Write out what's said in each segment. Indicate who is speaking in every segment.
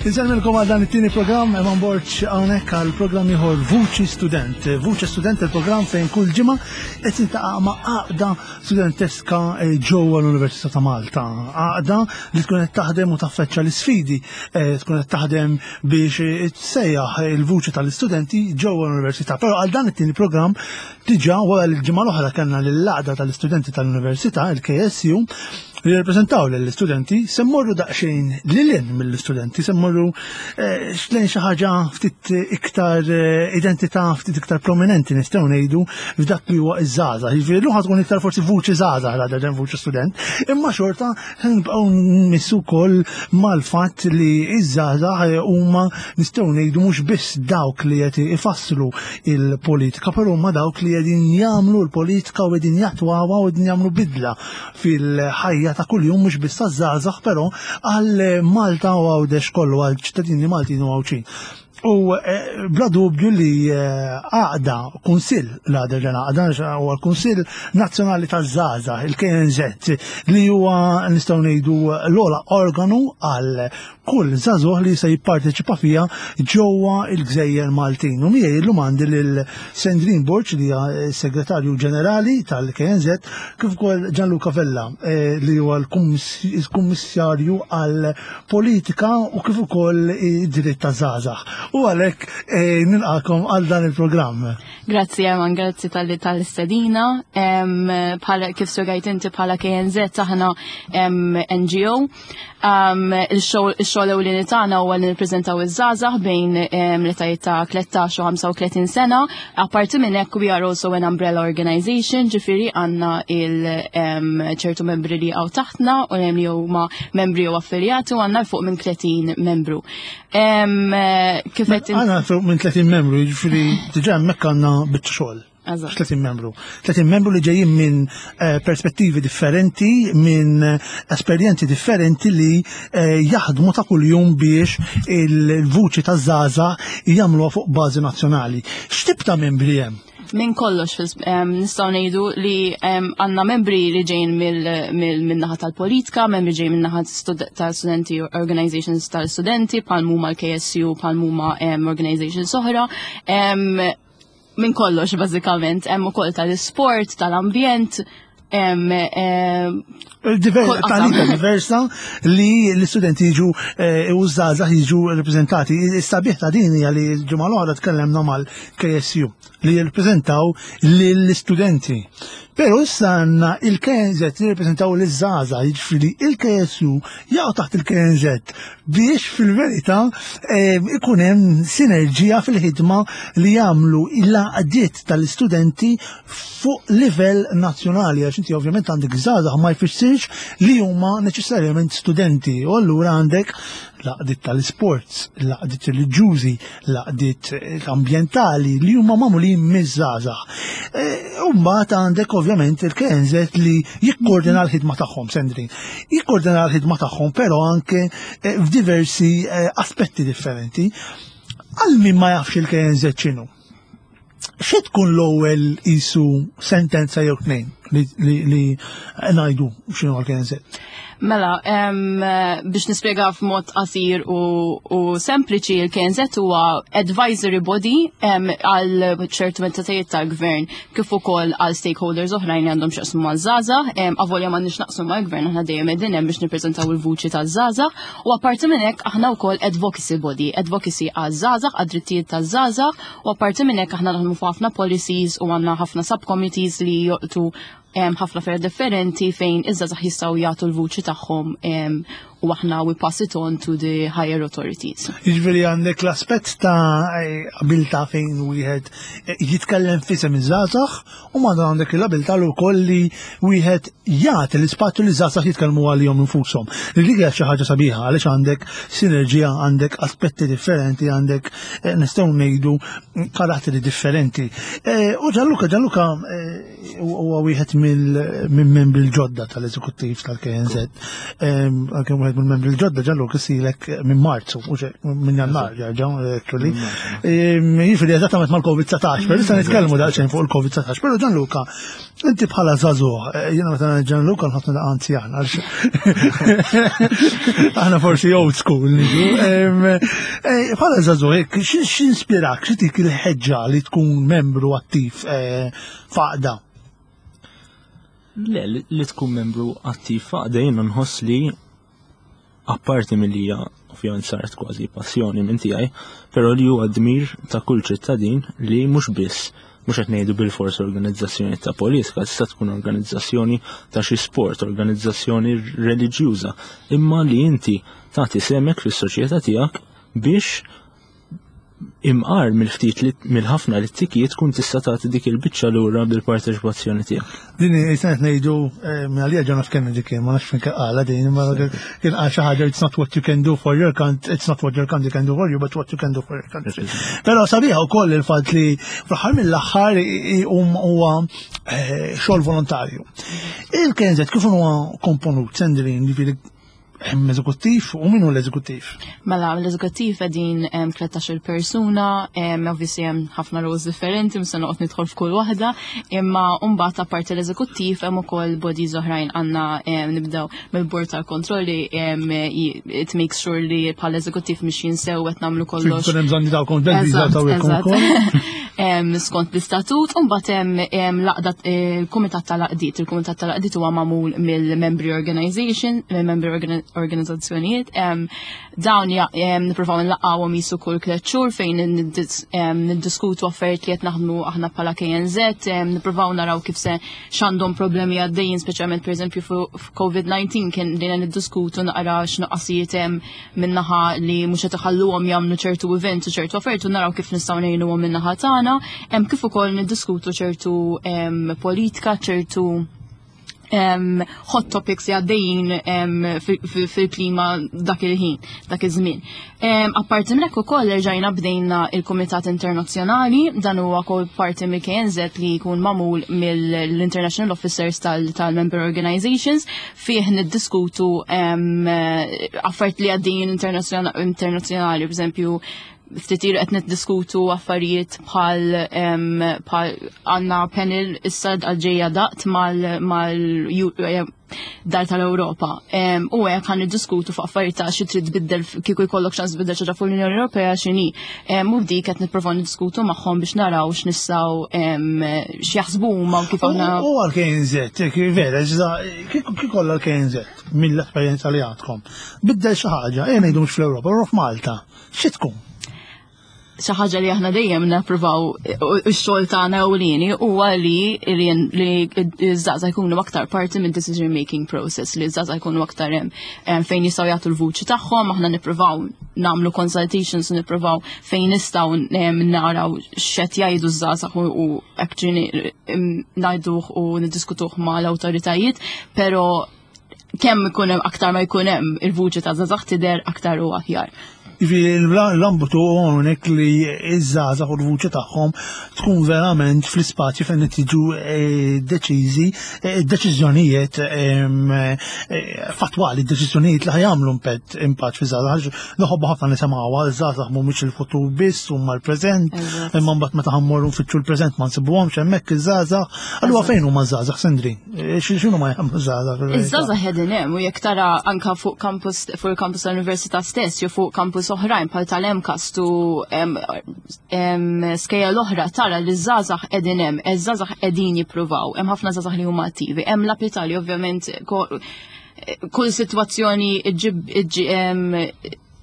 Speaker 1: Insellmilkom għal dan it-tieni programm Eman Borg hawnhekk għal programm ieħor Vuċi Student. Vuċi Student il-programm fejn kull ġimgħa qed intaqa' ma' għaqda studenteska eh, ġewwa l-Università ta' Malta. Għaqda li tkun qed taħdem u taffeċċa l-isfidi, eh, tkun qed taħdem biex eh, tsejjaħ il-vuċi tal-istudenti ġewwa l-Università. Però għal dan it-tieni programm diġà wara l-ġimgħa l-oħra kellna lill-għaqda tal-istudenti tal-Università, il-KSU, li jirrappreżentaw lill-istudenti se mmorru daqsxejn lil hinn mill-istudenti, se mmorru eh, lejn xi ħaġa ftit iktar eh, identità ftit iktar prominenti nistgħu ngħidu f'dak li huwa iż-żgħażagħ. Jiġifieri llum tkun iktar forsi vuċi żgħażagħ rather than vuċi student, imma xorta nibqgħu nmissu wkoll mal-fatt li iż-żgħażagħ eh, huma nistgħu ngħidu mhux biss dawk li qed ifasslu il-politika, però huma dawk li qegħdin jagħmlu l-politika u qegħdin jattwawha u qegħdin jagħmlu bidla fil-ħajja ta' kuljum mhux biss taż-żgħażagħ però għal Malta u Għawdex kollu għal ċittadini Maltin u Għawdxin. U eh, bla dubju li eh, għaqda kunsill l-għada ġena għaqda huwa l-Kunsill Nazzjonali taż-Żgħażagħ, il-KNZ, li huwa nistgħu ngħidu l-ogħla organu għal kull żagħżugħ li se jipparteċipa fiha ġewwa l-Gżejjer Maltin. U miegħi llum għandi lil Sandrine Borg li hija segretarju ġenerali tal-KNZ kif ukoll Gianluca Vella eh, li huwa l-kummissarju għal politika u kif ukoll id-dritt ta' żgħażagħ. U għalhekk eh, nilqakom għal dan il-programm.
Speaker 2: Grazzi Eman, grazzi tal-li tal-istedina. Bħala kif spjegajt inti bħala KNZ aħna NGO Um, il-xogħol ewlieni tagħna huwa li nirpreżentaw iż-żgħażagħ bejn um, l-etajiet ta' 13 u 35 sena. Apparti minn hekk we are also an umbrella organization, ġifieri għandna il-ċertu um, membri li għaw taħtna u hemm li huma membri u affiljati u għandna fuq minn 30 membru.
Speaker 1: Kif qed Għandna fuq minn 30 membru, jiġifieri diġà hemmhekk għandna biċċa xogħol. 30 membru. 30 membru li ġejjin minn eh, perspettivi differenti, minn eh, esperjenzi differenti li eh, jaħdmu ta' kuljum biex il-vuċi ta' zaza jagħmluha fuq bażi nazzjonali. X'tip ta' membri hemm?
Speaker 2: Minn kollox, nistgħu ngħidu li għandna membri li ġejjin mill-naħa tal-politika, membri ġejjin min-naħa tal-studenti organizations tal-studenti, bħal huma l-KSU, bħal huma organizations oħra minn kollox bażikament, hemm ukoll tal-isport, tal-ambjent,
Speaker 1: Talita diversa li l-istudenti jiġu eh, u żgħażagħ jiġu rappreżentati. Is-sabiħ ta' din hija li l-ġimgħa l-oħra tkellemna mal-KSU li jirrappreżentaw lill-istudenti. Però issa għandna il-KNZ li jirrappreżentaw liż-żgħażagħ, jiġifieri il-KSU jaqgħu taħt il-KNZ biex fil-verità eh, ikun hemm sinerġija fil-ħidma li jagħmlu l-għaqdiet tal-istudenti fuq livell nazzjonali għax inti ovvjament għandek żgħażagħ ma jfissirx li huma neċessarjament studenti u allura għandek l-għaqdiet tal-isports, l-għaqdiet reliġjużi, l-għaqdiet eh, ambjentali li huma magħmulin miż-żgħażagħ. Eh, u mbagħad għandek ovvjament il-KNZ li jikkoordina l-ħidma tagħhom, Sandrin. Jikkoordina l-ħidma tagħhom però anke eh, f'diversi aspetti differenti. Għal min ma jafx il-KNZ x'inhu? Xi tkun l-ewwel isu sentenza jew tnejn li ngħidu x'inhu għal-KNZ?
Speaker 2: Mela, biex nispjega f'mod qasir u, u sempliċi, il-KNZ huwa advisory body għal ċertu entitajiet tal-gvern kif ukoll għal stakeholders oħrajn li għandhom x'jaqsmu maż-żgħażagħ, avolja m'għandniex naqsmu mal-gvern aħna dejjem qegħdin hemm biex nippreżentaw il-vuċi taż-żgħażagħ u apparti minn hekk aħna wkoll advocacy body, advocacy għaż-żgħażagħ, għad-drittijiet taż-żgħażagħ U apparti minn hekk aħna naħdmu fuq ħafna policies u għandna ħafna subcommittees li joqtu ħafna affarijiet differenti fejn iż-żgħażagħ jistgħu jagħtu l-vuċi tagħhom u aħna we pass it on to the higher authorities.
Speaker 1: Jiġifieri għandek l-aspett ta' abilità fejn wieħed eh, jitkellem fisem iż-żgħażagħ u ma għandek l-abilità l ukoll li wieħed jagħti l-ispazju li żgħażagħ jitkellmu għalihom infushom. Li dik hija xi ħaġa sabiħa għaliex għandek sinerġija, għandek aspetti differenti, għandek eh, nistgħu ngħidu karatteri differenti. Eh, u Gianluca, Gianluca eh, huwa wieħed minn membri l-ġodda tal-eżekuttiv tal-KNZ, għalkemm wieħed wieħed mill-membri l-ġodda Gianluca silek minn Marzu, u minn Jannar ġerġa' actually. Jiġifieri eżattament mal-COVID-19, però issa nitkellmu daqsxejn fuq il-COVID-19, però Gianluca, inti bħala żagħżugħ, jiena meta ngħid Gianluca nħossni daqqa anzjan għax aħna forsi old school niġu. Bħala żagħżugħ, hekk, x'inspirak, xi tik il-ħeġġa li tkun membru attiv f'għaqda?
Speaker 3: Le, li tkun membru attiv f'għaqda jiena nħoss li apparti milli hija ovvjament saret kważi passjoni minn tiegħi, però li huwa dmir ta' kull ċittadin li mhux biss mhux qed ngħidu bilfors organizzazzjoni ta' politika, tista' tkun organizzazzjoni ta' xi sport, organizzazzjoni reliġjuża, imma li inti tagħti semek fis-soċjetà tiegħek biex imqar mill-ftit li mill-ħafna li t-tikiet tkun tista' tagħti dik il-biċċa lura bil-parteċipazzjoni tiegħek.
Speaker 1: Din qed ngħidu eh, minn għalija John F. Kennedy kien ma nafx fejn qala din imma kien qal xi ħaġa it's not what you can do for your country, it's not what your country can do for you, but what you can do for your country. Però sabiħa wkoll il-fatt li fl-aħħar mill-aħħar huwa eh, xogħol volontarju. Il-KNZ kif huwa komponut, Sandrine, ġifieri Hemm eżekuttiv u min hu l-eżekuttiv?
Speaker 2: Mela, l-eżekuttiv qegħdin 13-il persuna, obviously hemm ħafna roles differenti, mhux se noqgħod nidħol f'kull waħda, imma mbagħad apparti l-eżekuttiv hemm ukoll bodies oħrajn għandna nibdew mill-bord tal-kontrolli it makes sure li bħala eżekuttiv mhix jinsew qed nagħmlu kollox.
Speaker 1: Kun hemm bżonn dawkom
Speaker 2: Skont l-istatut, u mbagħad hemm l-għaqda il-kumitat tal-għaqdiet. Il-kumitat tal-għaqdiet huwa magħmul mill-member organization, mill-member organizzazzjonijiet. Dawn nippruvaw nlaqgħuhom jisu kull tliet xhur fejn niddiskutu affarijiet li qed naħdmu aħna bħala KNZ, nippruvaw naraw kif se x'għandhom problemi għaddejjin, speċjalment pereżempju f'COVID-19 kien bdejna niddiskutu naqra x'nuqqasijiet hemm minnaħa li mhux qed iħalluhom jagħmlu ċertu events u ċertu affarijiet u naraw kif nistgħu ngħinuhom minnaħa tagħna, hemm kif ukoll niddiskutu ċertu politika, ċertu hot topics li għaddejjin fil-klima dak il-ħin, dak iż-żmien. Apparti minn hekk ukoll erġajna bdejna il-Kumitat Internazzjonali, dan huwa wkoll parti mill-KNZ li jkun magħmul mill-International Officers tal-Member Organizations fih niddiskutu affarijiet li għaddejjin internazzjonali, per eżempju, ftit ilu qed niddiskutu affarijiet bħal għandna panel issa għal-ġejja daqt mal eh, dar tal-Ewropa. U hekk ħan niddiskutu fuq affarijiet ta' xi trid tbiddel kieku jkollok ċans tbiddel xi fuq l-Unjoni Ewropea x'inhi. U dik qed nipprova niddiskutu magħhom biex naraw x'nistgħu x'jaħsbu huma u kif aħna.
Speaker 1: U għal-KNZ, vera, kieku kollha l-KNZ mill-esperjenza li għandkom. Biddel xi ħaġa, ejja ngħidu mhux fl-Ewropa, u f'Malta. Xi tkun?
Speaker 2: Xi ħaġa li aħna dejjem nappruvaw ix-xogħol tagħna ewlieni huwa li li ż-żgħażagħ jkunu aktar parti minn decision making process, li ż-żgħażagħ jkunu aktar hemm fejn jistgħu jagħtu l-vuċi tagħhom, aħna nippruvaw nagħmlu consultations, nippruvaw fejn nistgħu naraw x'qed jgħidu ż-żgħażagħ u actually ngħiduh u niddiskutuh mal-awtoritajiet, però kemm ikun hemm aktar ma jkun hemm il-vuċi ta' żgħażagħ tidher aktar u aħjar.
Speaker 1: Jiġifieri l-ambitu hawnhekk li ż-żgħażagħ u l-vuċi tagħhom tkun verament fl-ispazju fejn qed jiġu eh, deċiżi eh, deċiżjonijiet ehm, eh, fatwali, deċiżjonijiet li ħajamlu impatt impatt fi żgħażagħ. Noħobbu ħafna nisimgħuha, żgħażagħ mhumiex il-futur biss huma l-preżent, imma mbagħad meta ħammorru nfittxu l-preżent ma nsibuhomx hemmhekk iż-żgħażagħ. Allura fejn huma ż-żgħażagħ, Sandri? Eh, x'inhu ma jagħmlu żgħażagħ?
Speaker 2: Iż-żgħażagħ qegħdin hemm u jekk tara anka fuq campus fuq il-campus tal-università stess jew fuq campus oħrajn bħal tal-MCAST u skejjel l-oħra tara li ż-żgħażagħ qegħdin hemm, iż-żgħażagħ qegħdin jippruvaw, hemm ħafna żgħażagħ li huma attivi, hemm l-Italja ovvjament kull sitwazzjoni ġib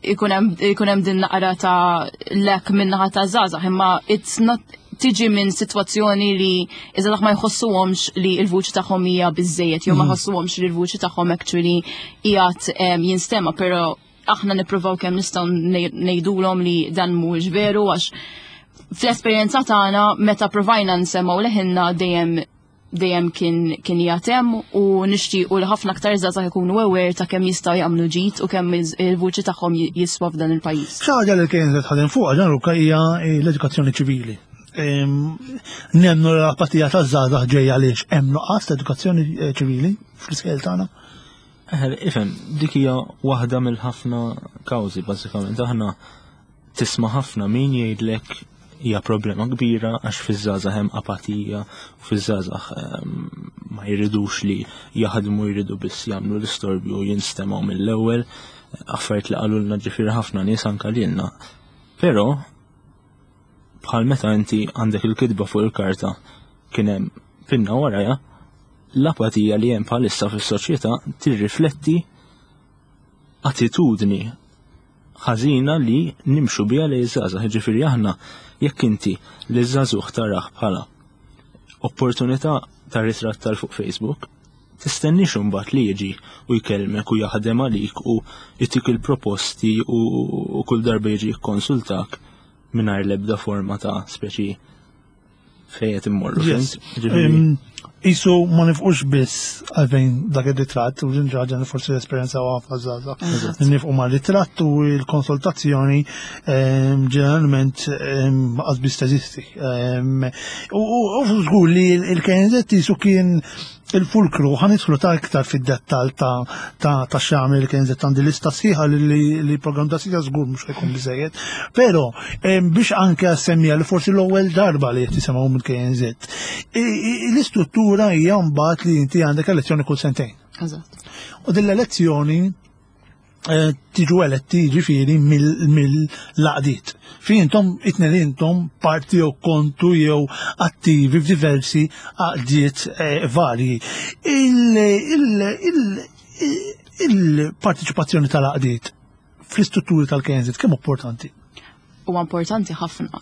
Speaker 2: ikun hemm din naqra ta' lek minnaħa ta' żgħażagħ, imma it's not tiġi minn sitwazzjoni li iżda ma jħossuhomx li l-vuċi tagħhom hija biżejjed jew ma mm. jħossuhomx li l-vuċi tagħhom actually qiegħed jinstema, però aħna nippruvaw kemm nistgħu ngħidulhom li dan mhuwiex veru għax fl-esperjenza tagħna meta provajna nsemgħu leħinna dejjem dejjem kien kien jagħtem u nixtiequ li ħafna aktar żgħażagħ ikunu aware ta' kemm jistgħu jagħmlu ġid u kemm il-vuċi tagħhom jiswa f'dan il-pajjiż.
Speaker 1: Xi ħaġa li kienet tħadem fuqha Gianluca hija l-edukazzjoni ċivili. Nemnu l-apatija taż-żgħażagħ ġejja għaliex hemm nuqqas ta' edukazzjoni eh, ċivili fl-iskejjel tagħna.
Speaker 3: Ifhem, dik hija waħda mill-ħafna kawżi bażikament. Aħna tisma' ħafna min jgħidlek hija problema kbira għax fiż-żgħażagħ hemm apatija u fiż-żgħażagħ ma jridux li jaħdmu jridu biss jagħmlu l-istorbju u jinstemgħu mill-ewwel affarijiet li qalulna ġifieri ħafna nies anke lilna. Però bħal meta inti għandek il-kitba fuq il-karta kien hemm pinna warajha, l-apatija li hemm bħalissa fis-soċjetà tirrifletti attitudni ħażina li nimxu biha lejn iż-żgħażagħ. Jiġifieri aħna jekk inti li żagħżugħ tarah bħala opportunità ta' ritratt tal fuq Facebook, tistennix imbagħad li jiġi u jkellmek u jaħdem għalik u jtik il-proposti u kull darba jiġi jikkonsultak mingħajr l-ebda forma ta' speċi fejn qed immorru.
Speaker 1: Yes. Isu ma nifqux biss għalfejn dak ir-ritratt u din ħaġa li forsi l-esperjenza ħafna żgħażagħ. Nifqu ma' ritratt u l-konsultazzjoni ġeneralment qas biss teżisti. U żgur li l-KNZ isu kien il-fulkru ħa nidħlu ta' iktar fid-dettal ta' ta' ta' x'jagħmel il-KNZ għandi lista sħiħa li li programm ta' sija żgur mhux ħajkun biżejjed. Però biex anke semmija li forsi l-ewwel darba li qed tisimgħu mill-KNZ. L-istruttura hija mbagħad li inti għandek elezzjoni kull sentejn.
Speaker 2: Eżatt.
Speaker 1: U din l-elezzjoni Eh, tiġu eletti ġifieri mill-laqdiet. Fi intom itnejn intom parti jew kontu jew attivi f'diversi għaqdiet eh, varji. Il-partiċipazzjoni tal-għaqdiet fl-istrutturi tal-KNZ kemm importanti?
Speaker 2: huwa importanti ħafna.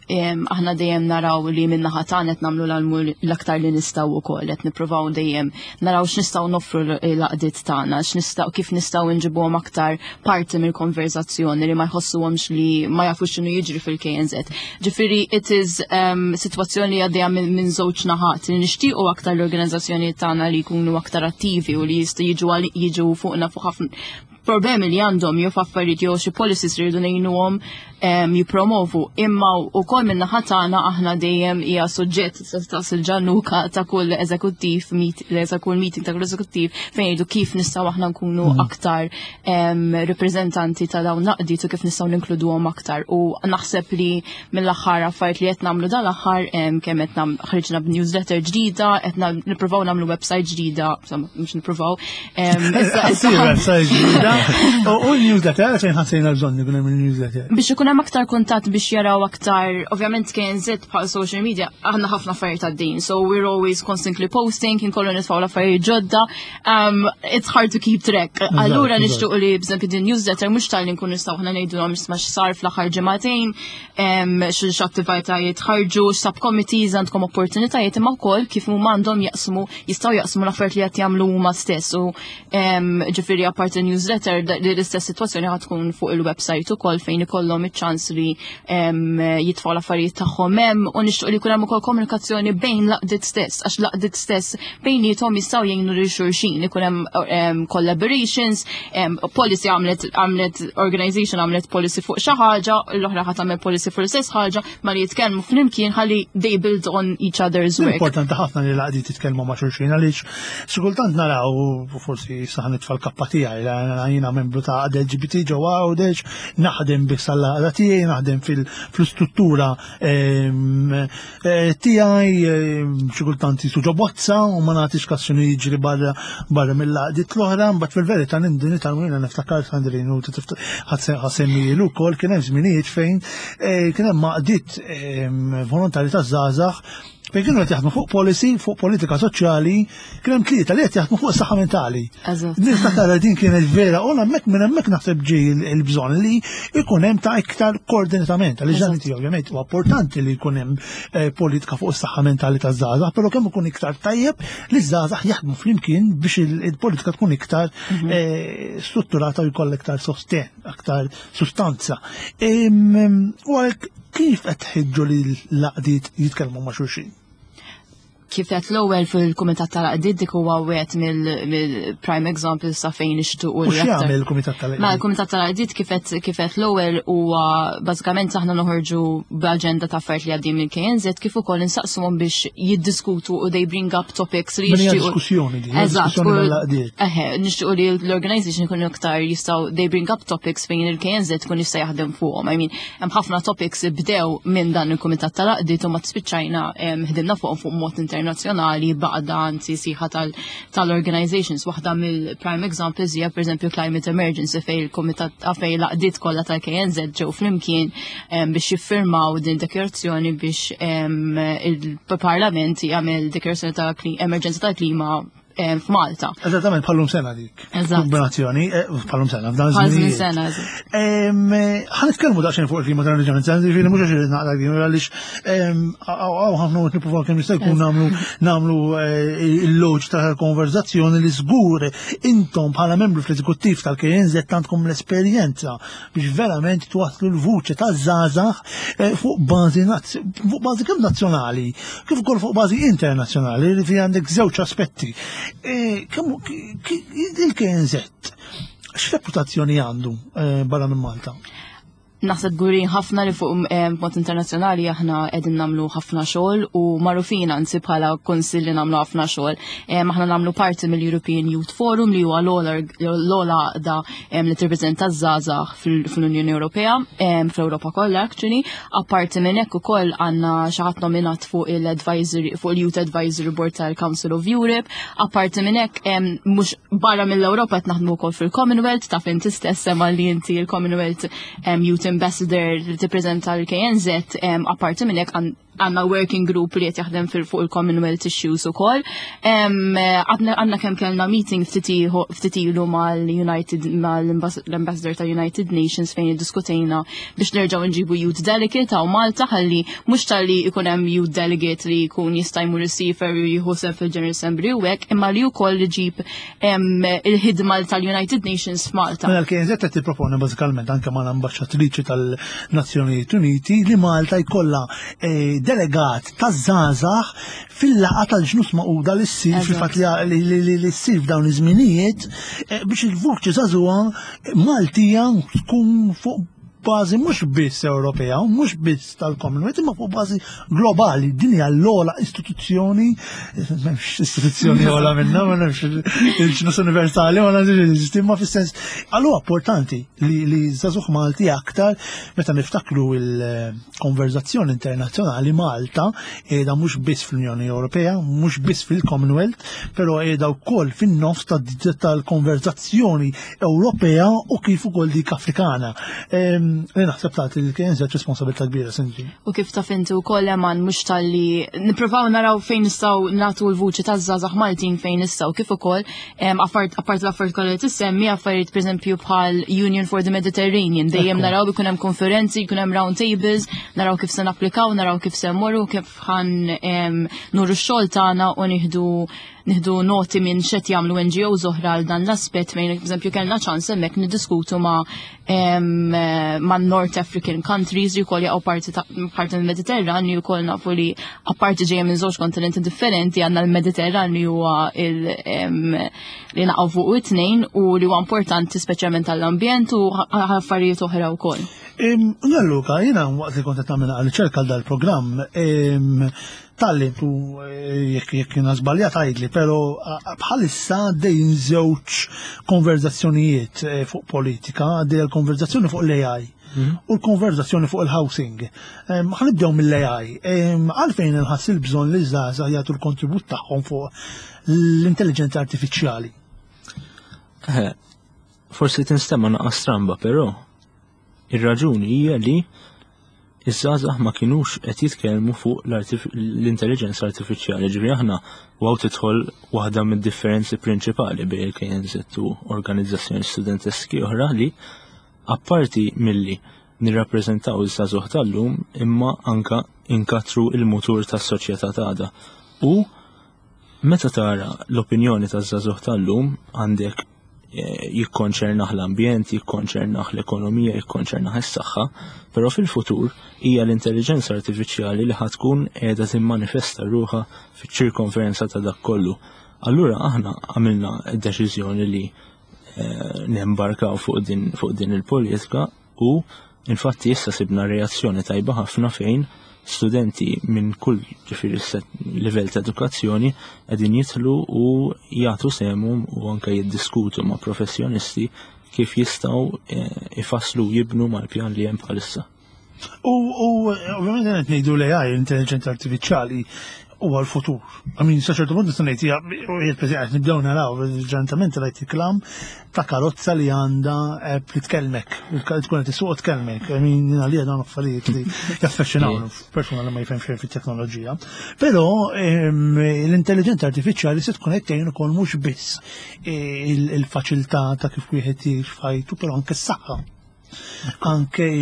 Speaker 2: Aħna dejjem naraw li min-naħa tagħna qed nagħmlu l-almu l-aktar li nistgħu wkoll, qed nippruvaw dejjem naraw x'nistgħu noffru l-għaqdiet tagħna, x'nistgħu kif nistgħu nġibuhom aktar parti mill-konverzazzjoni li ma jħossuhomx li ma jafux x'inhu jiġri fil-KNZ. Ġifieri it is sitwazzjoni li għaddejja minn żewġ naħat li nixtiequ aktar l-organizzazzjonijiet tagħna li jkunu aktar attivi u li jistgħu jiġu jiġu fuqna fuq ħafna problemi li għandhom jew f'affarijiet jew xi policies li rridu ngħinuhom jippromovu. Imma wkoll minn naħa tagħna aħna dejjem hija suġġett ta' sil-ġannuka ta' kull eżekuttiv ta' kull meeting ta' kull eżekuttiv fejn jgħidu kif nistgħu aħna nkunu aktar rappreżentanti ta' dawn naqdiet u kif nistgħu ninkluduhom aktar. U naħseb li mill-aħħar affarijiet li qed nagħmlu dal-aħħar kemm qed ħriġna b'newsletter ġdida, qed nippruvaw nagħmlu website ġdida, insomma mhux nippruvaw.
Speaker 1: Website ġdida. U l-newsletter għalfejn ħassejna bżonn ikun hemm il-newsletter.
Speaker 2: Biex ikun hemm aktar kuntatt biex jaraw aktar, ovvjament KNZ bħal social media aħna ħafna affarijiet għaddejn, so we're always constantly posting, kien kollu nitfgħu l-affarijiet ġodda, it's hard to keep track. Allura nixtiequ li b'eżempju din newsletter mhux tal-li nkun nistgħu aħna ngħidulhom isma' x'sar fl-aħħar ġimagħtejn, x'attivitajiet ħarġu, x'subcommittees għandkom opportunitajiet imma wkoll kif huma għandhom jaqsmu jistgħu jaqsmu l-affarijiet li qed jagħmlu huma stess u ġifieri apparti newsletter li l-istess sitwazzjoni ħad tkun fuq il-website ukoll fejn ikollhom iċ-ċans li jitfgħu l-affarijiet tagħhom hemm u nixtieq li jkun hemm ukoll komunikazzjoni bejn l-għaqdiet stess għax l-għaqdiet stess bejniethom jistgħu jgħinu lil xulxin ikun hemm collaborations, policy għamlet għamlet organization għamlet policy fuq xi ħaġa, l-oħra ħadd tagħmel policy fuq l-istess ħaġa, ma li jitkellmu flimkien ħalli they build on each other's work.
Speaker 1: Importanti ħafna li l-għaqdiet jitkellmu ma' xulxin għaliex xi kultant naraw forsi saħ nitfa' l-kappa tiegħi jiena membru ta' għaqda LGBT ġewwa Għawdex, naħdem biss għall-għaqda tiegħi, naħdem fil-struttura tiegħi xi kultant jisu ġo bozza u ma nagħtix kas x'inhu jiġri barra barra mill-għaqdiet l-oħra, mbagħad fil-verità nindini tal-mwina niftakar Sandrin u ħasemmilu wkoll kien hemm żminijiet fejn kien hemm għaqdiet volontari ta' żgħażagħ fejn kienu qed jaħdmu fuq policy, fuq politika soċjali, kien hemm tlieta li qed jaħdmu fuq saħħa mentali. Nista' tara din kienet vera u hemmhekk minn hemmhekk naħseb ġej il-bżonn li jkun hemm ta' iktar koordinatament. Għaliex dan inti ovvjament huwa importanti li jkun hemm eh, politika fuq is-saħħa mentali taż-żgħażagħ, però kemm ikun iktar tajjeb li ż-żgħażagħ jaħdmu flimkien biex il-politika tkun iktar mhm. eh, strutturata u jkollha iktar sosten, aktar sustanza. U għalhekk kif qed tħeġġu li l-għaqdiet jitkellmu ma' xulxin?
Speaker 2: Kif qed l-ewwel fil-Kumitat tal-Għaqdiet, dik huwa wieħed mill-prime examples sa fejn nixtiequ
Speaker 1: li. X'jagħmel il-Kumitat tal-Għaqdiet?
Speaker 2: Ma l-Kumitat tal-Għaqdiet kif qed l-ewwel huwa bażikament aħna noħorġu b'aġenda ta' affarijiet li għaddejjin minn KNZ, kif ukoll insaqsuhom biex jiddiskutu u they bring up topics li
Speaker 1: jixtiequ. Diskussjoni din.
Speaker 2: Eżatt. Eħe, nixtiequ li l-organization ikunu iktar jistgħu they bring up topics fejn il-KNZ tkun jista' jaħdem fuqhom. I mean, hemm ħafna topics bdew minn dan il-Kumitat tal-Għaqdiet u ma spiċċajna ħdimna fuqhom fuq mod internazzjonali baqda, anzi siħa tal-organizations. Waħda mill-prime examples hija, pereżempju, Climate Emergency, fejn il-Kumitat, fejn l-għaqdiet kollha tal-KNZ ġew flimkien biex jiffirmaw din dikjarazzjoni biex il-Parlament jagħmel dikjarazzjoni ta' emerġenza tal-klima f'Malta.
Speaker 1: Eżattament, bħallum sena dik. Kombinazzjoni, bħallum sena, f'dan
Speaker 2: iż-żmien. Sena.
Speaker 1: Ħa nitkellmu daqsxejn fuq il-klima tal-emerġenza, ġifieri mhux għax naqra din, għaliex hawn ħafna qed nippruvaw kemm jista' jkun nagħmlu il-loġ tal-konverzazzjoni li żgur intom bħala membru fl-eżekuttiv tal-KNZ għandkom l-esperjenza biex verament twasslu l-vuċi taż-żgħażagħ fuq bażi kemm nazzjonali kif ukoll fuq bażi internazzjonali, li fi għandek żewġ aspetti. Kemm il-KNZ x'reputazzjoni għandu barra minn Malta?
Speaker 2: Naħseb kburin ħafna li fuq mod internazzjonali aħna qegħdin nagħmlu ħafna xogħol u magħrufin anzi bħala kunsill li nagħmlu ħafna xogħol. Aħna nagħmlu parti mill-European Youth Forum, li huwa l-ogħla għaqda li tirrepreżenta żgħażagħ fl-Unjoni Ewropea, fl-Ewropa kollha actually. Apparti minn hekk ukoll għandna xi ħadd nominat fuq il-advisory fuq il-Youth Advisory Board tal-Council of Europe. Apparti minn hekk, mhux barra mill-Ewropa, qed naħdmu wkoll fil-Commonwealth, taf inti stess sema li inti il-Commonwealth Youth Ambassador li tippreżenta l-KNZ. Apparti minn hekk għandna working group li qed jaħdem fuq il-Commonwealth issues ukoll. Għandna kemm kellna meeting ftit ilu mal-United mal-Ambassador ta' United Nations fejn iddiskutejna biex nerġgħu nġibu youth delegate hawn Malta, ħalli mhux talli jkun hemm youth delegate li jkun jista' jmur isiefer u jieħu sehem fil-General Assembly u hekk, imma li wkoll iġib il-ħidma tal-United Nations f'Malta.
Speaker 1: Mela l-KNZ qed tipproponi bażikament anke mal-ambaxxatriċi tal-Nazzjonijiet Uniti li Malta jkollha delegat taż-żgħażagħ fil-laqgħa tal-Ġnus Magħquda li ssir fil-fatt li ssir f'dawn iż-żminijiet biex il-vuċi żagħżugħa Maltija tkun fuq bażi mhux biss Ewropea u mhux biss tal-Commonwealth, imma fuq bażi globali. Din hija l-ogħla istituzzjoni, m'hemmx istituzzjoni ogħla minna, ma nafx il-ġnus universali, ma nafx, imma fis-sens għalhu importanti li żagħżugħ Malti aktar meta niftakru il-konverzazzjoni internazzjonali, Malta qiegħda mhux biss fl-Unjoni Ewropea, mhux biss fil-Commonwealth, però qiegħda wkoll fin-nofs tal-konverzazzjoni Ewropea u kif ukoll dik Afrikana. Li naħseb tagħti li kien responsabilità kbira, Sinti.
Speaker 2: U kif taf inti wkoll, Eman, mhux talli nippruvaw naraw fejn nistgħu nagħtu l-vuċi taż-żgħażagħ Maltin fejn nistgħu, kif ukoll apart l-affarijiet kollha li tissemmi, affarijiet pereżempju bħal Union for the Mediterranean, dejjem naraw ikun hemm konferenzi, jkun hemm round tables, naraw kif se napplikaw, naraw kif se mmorru, kif ħa nuru x-xogħol tagħna u nieħdu noti minn x'qed jagħmlu NGOs oħra għal dan l-aspett, fejn eżempju kellna ċans hemmhekk niddiskutu ma' North African countries li wkoll jaqgħu parti mill-Mediterran, li wkoll nafu li apparti ġejja minn żewġ kontinenti differenti, għandna l-Mediterran li huwa li naqgħu fuq it-tnejn u li huwa importanti speċjalment għall-ambjent u affarijiet oħra wkoll.
Speaker 1: Luka, jiena waqt li kont qed nagħmel riċerka għal dal-programm, talli tu jekk jiena żbaljat għidli, però bħalissa għaddejjin żewġ konverzazzjonijiet fuq politika, għaddej l-konverzazzjoni fuq l-AI u l-konverzazzjoni fuq il-housing. Ħa nibdew mill-AI. Għalfejn inħass il-bżonn li żgħażagħ jagħtu l-kontribut tagħhom fuq l-intelligenza artifiċjali?
Speaker 3: Forsi tinstema naqra stramba, però ir-raġuni hija li iż-żgħażagħ ma kinux qed jitkellmu fuq l-intelligenza artifiċjali. Ġifieri aħna waw tidħol waħda mid-differenzi prinċipali bejn il-KNZ u organizzazzjoni studenteski oħra, li apparti milli nirrappreżentaw iż-żgħażugħ tal-lum, imma anka inkatru il-mutur tas-soċjetà tagħna. U meta tara l-opinjoni taż-żagħżugħ tal-lum, għandek Jikkonċernah l-ambjent, jikkonċernah l-ekonomija, jikkonċernah is-saħħa, però fil-futur hija l-intelligenza artifiċjali li ħa tkun qiegħda timmanifesta ruħha fiċ-ċirkonferenza ta' dak kollu. Allura aħna għamilna deċiżjoni li nembarkaw fuq din, fuq din il-politika u infatti issa sibna reazzjoni tajba ħafna fejn studenti minn kull ġifieri livell ta' edukazzjoni qegħdin jidħlu u jagħtu sehemhom u anke jiddiskutu ma' professjonisti kif jistgħu ifasslu u jibnu mal-pjan li hemm bħalissa.
Speaker 1: U ovvjament qed ngħidu l-AI, l-intelligenza artifiċjali, huwa l-futur. I mean, sa ċertu punt nista' ngħid hija qed nibdew naraw ġentament rajt reklam ta' karozza li għandha app li tkellmek, tkun qed issuq tkellmek. I mean, għalija dawn affarijiet li jaffaxxinaw persuna li ma jifhem xejn fit-teknoloġija. Però l-intelligenza artifiċjali se tkun qed tgħin ukoll mhux biss il-faċilità ta' kif wieħed jgħix f'ħajtu, però anke s-saħħa. Anke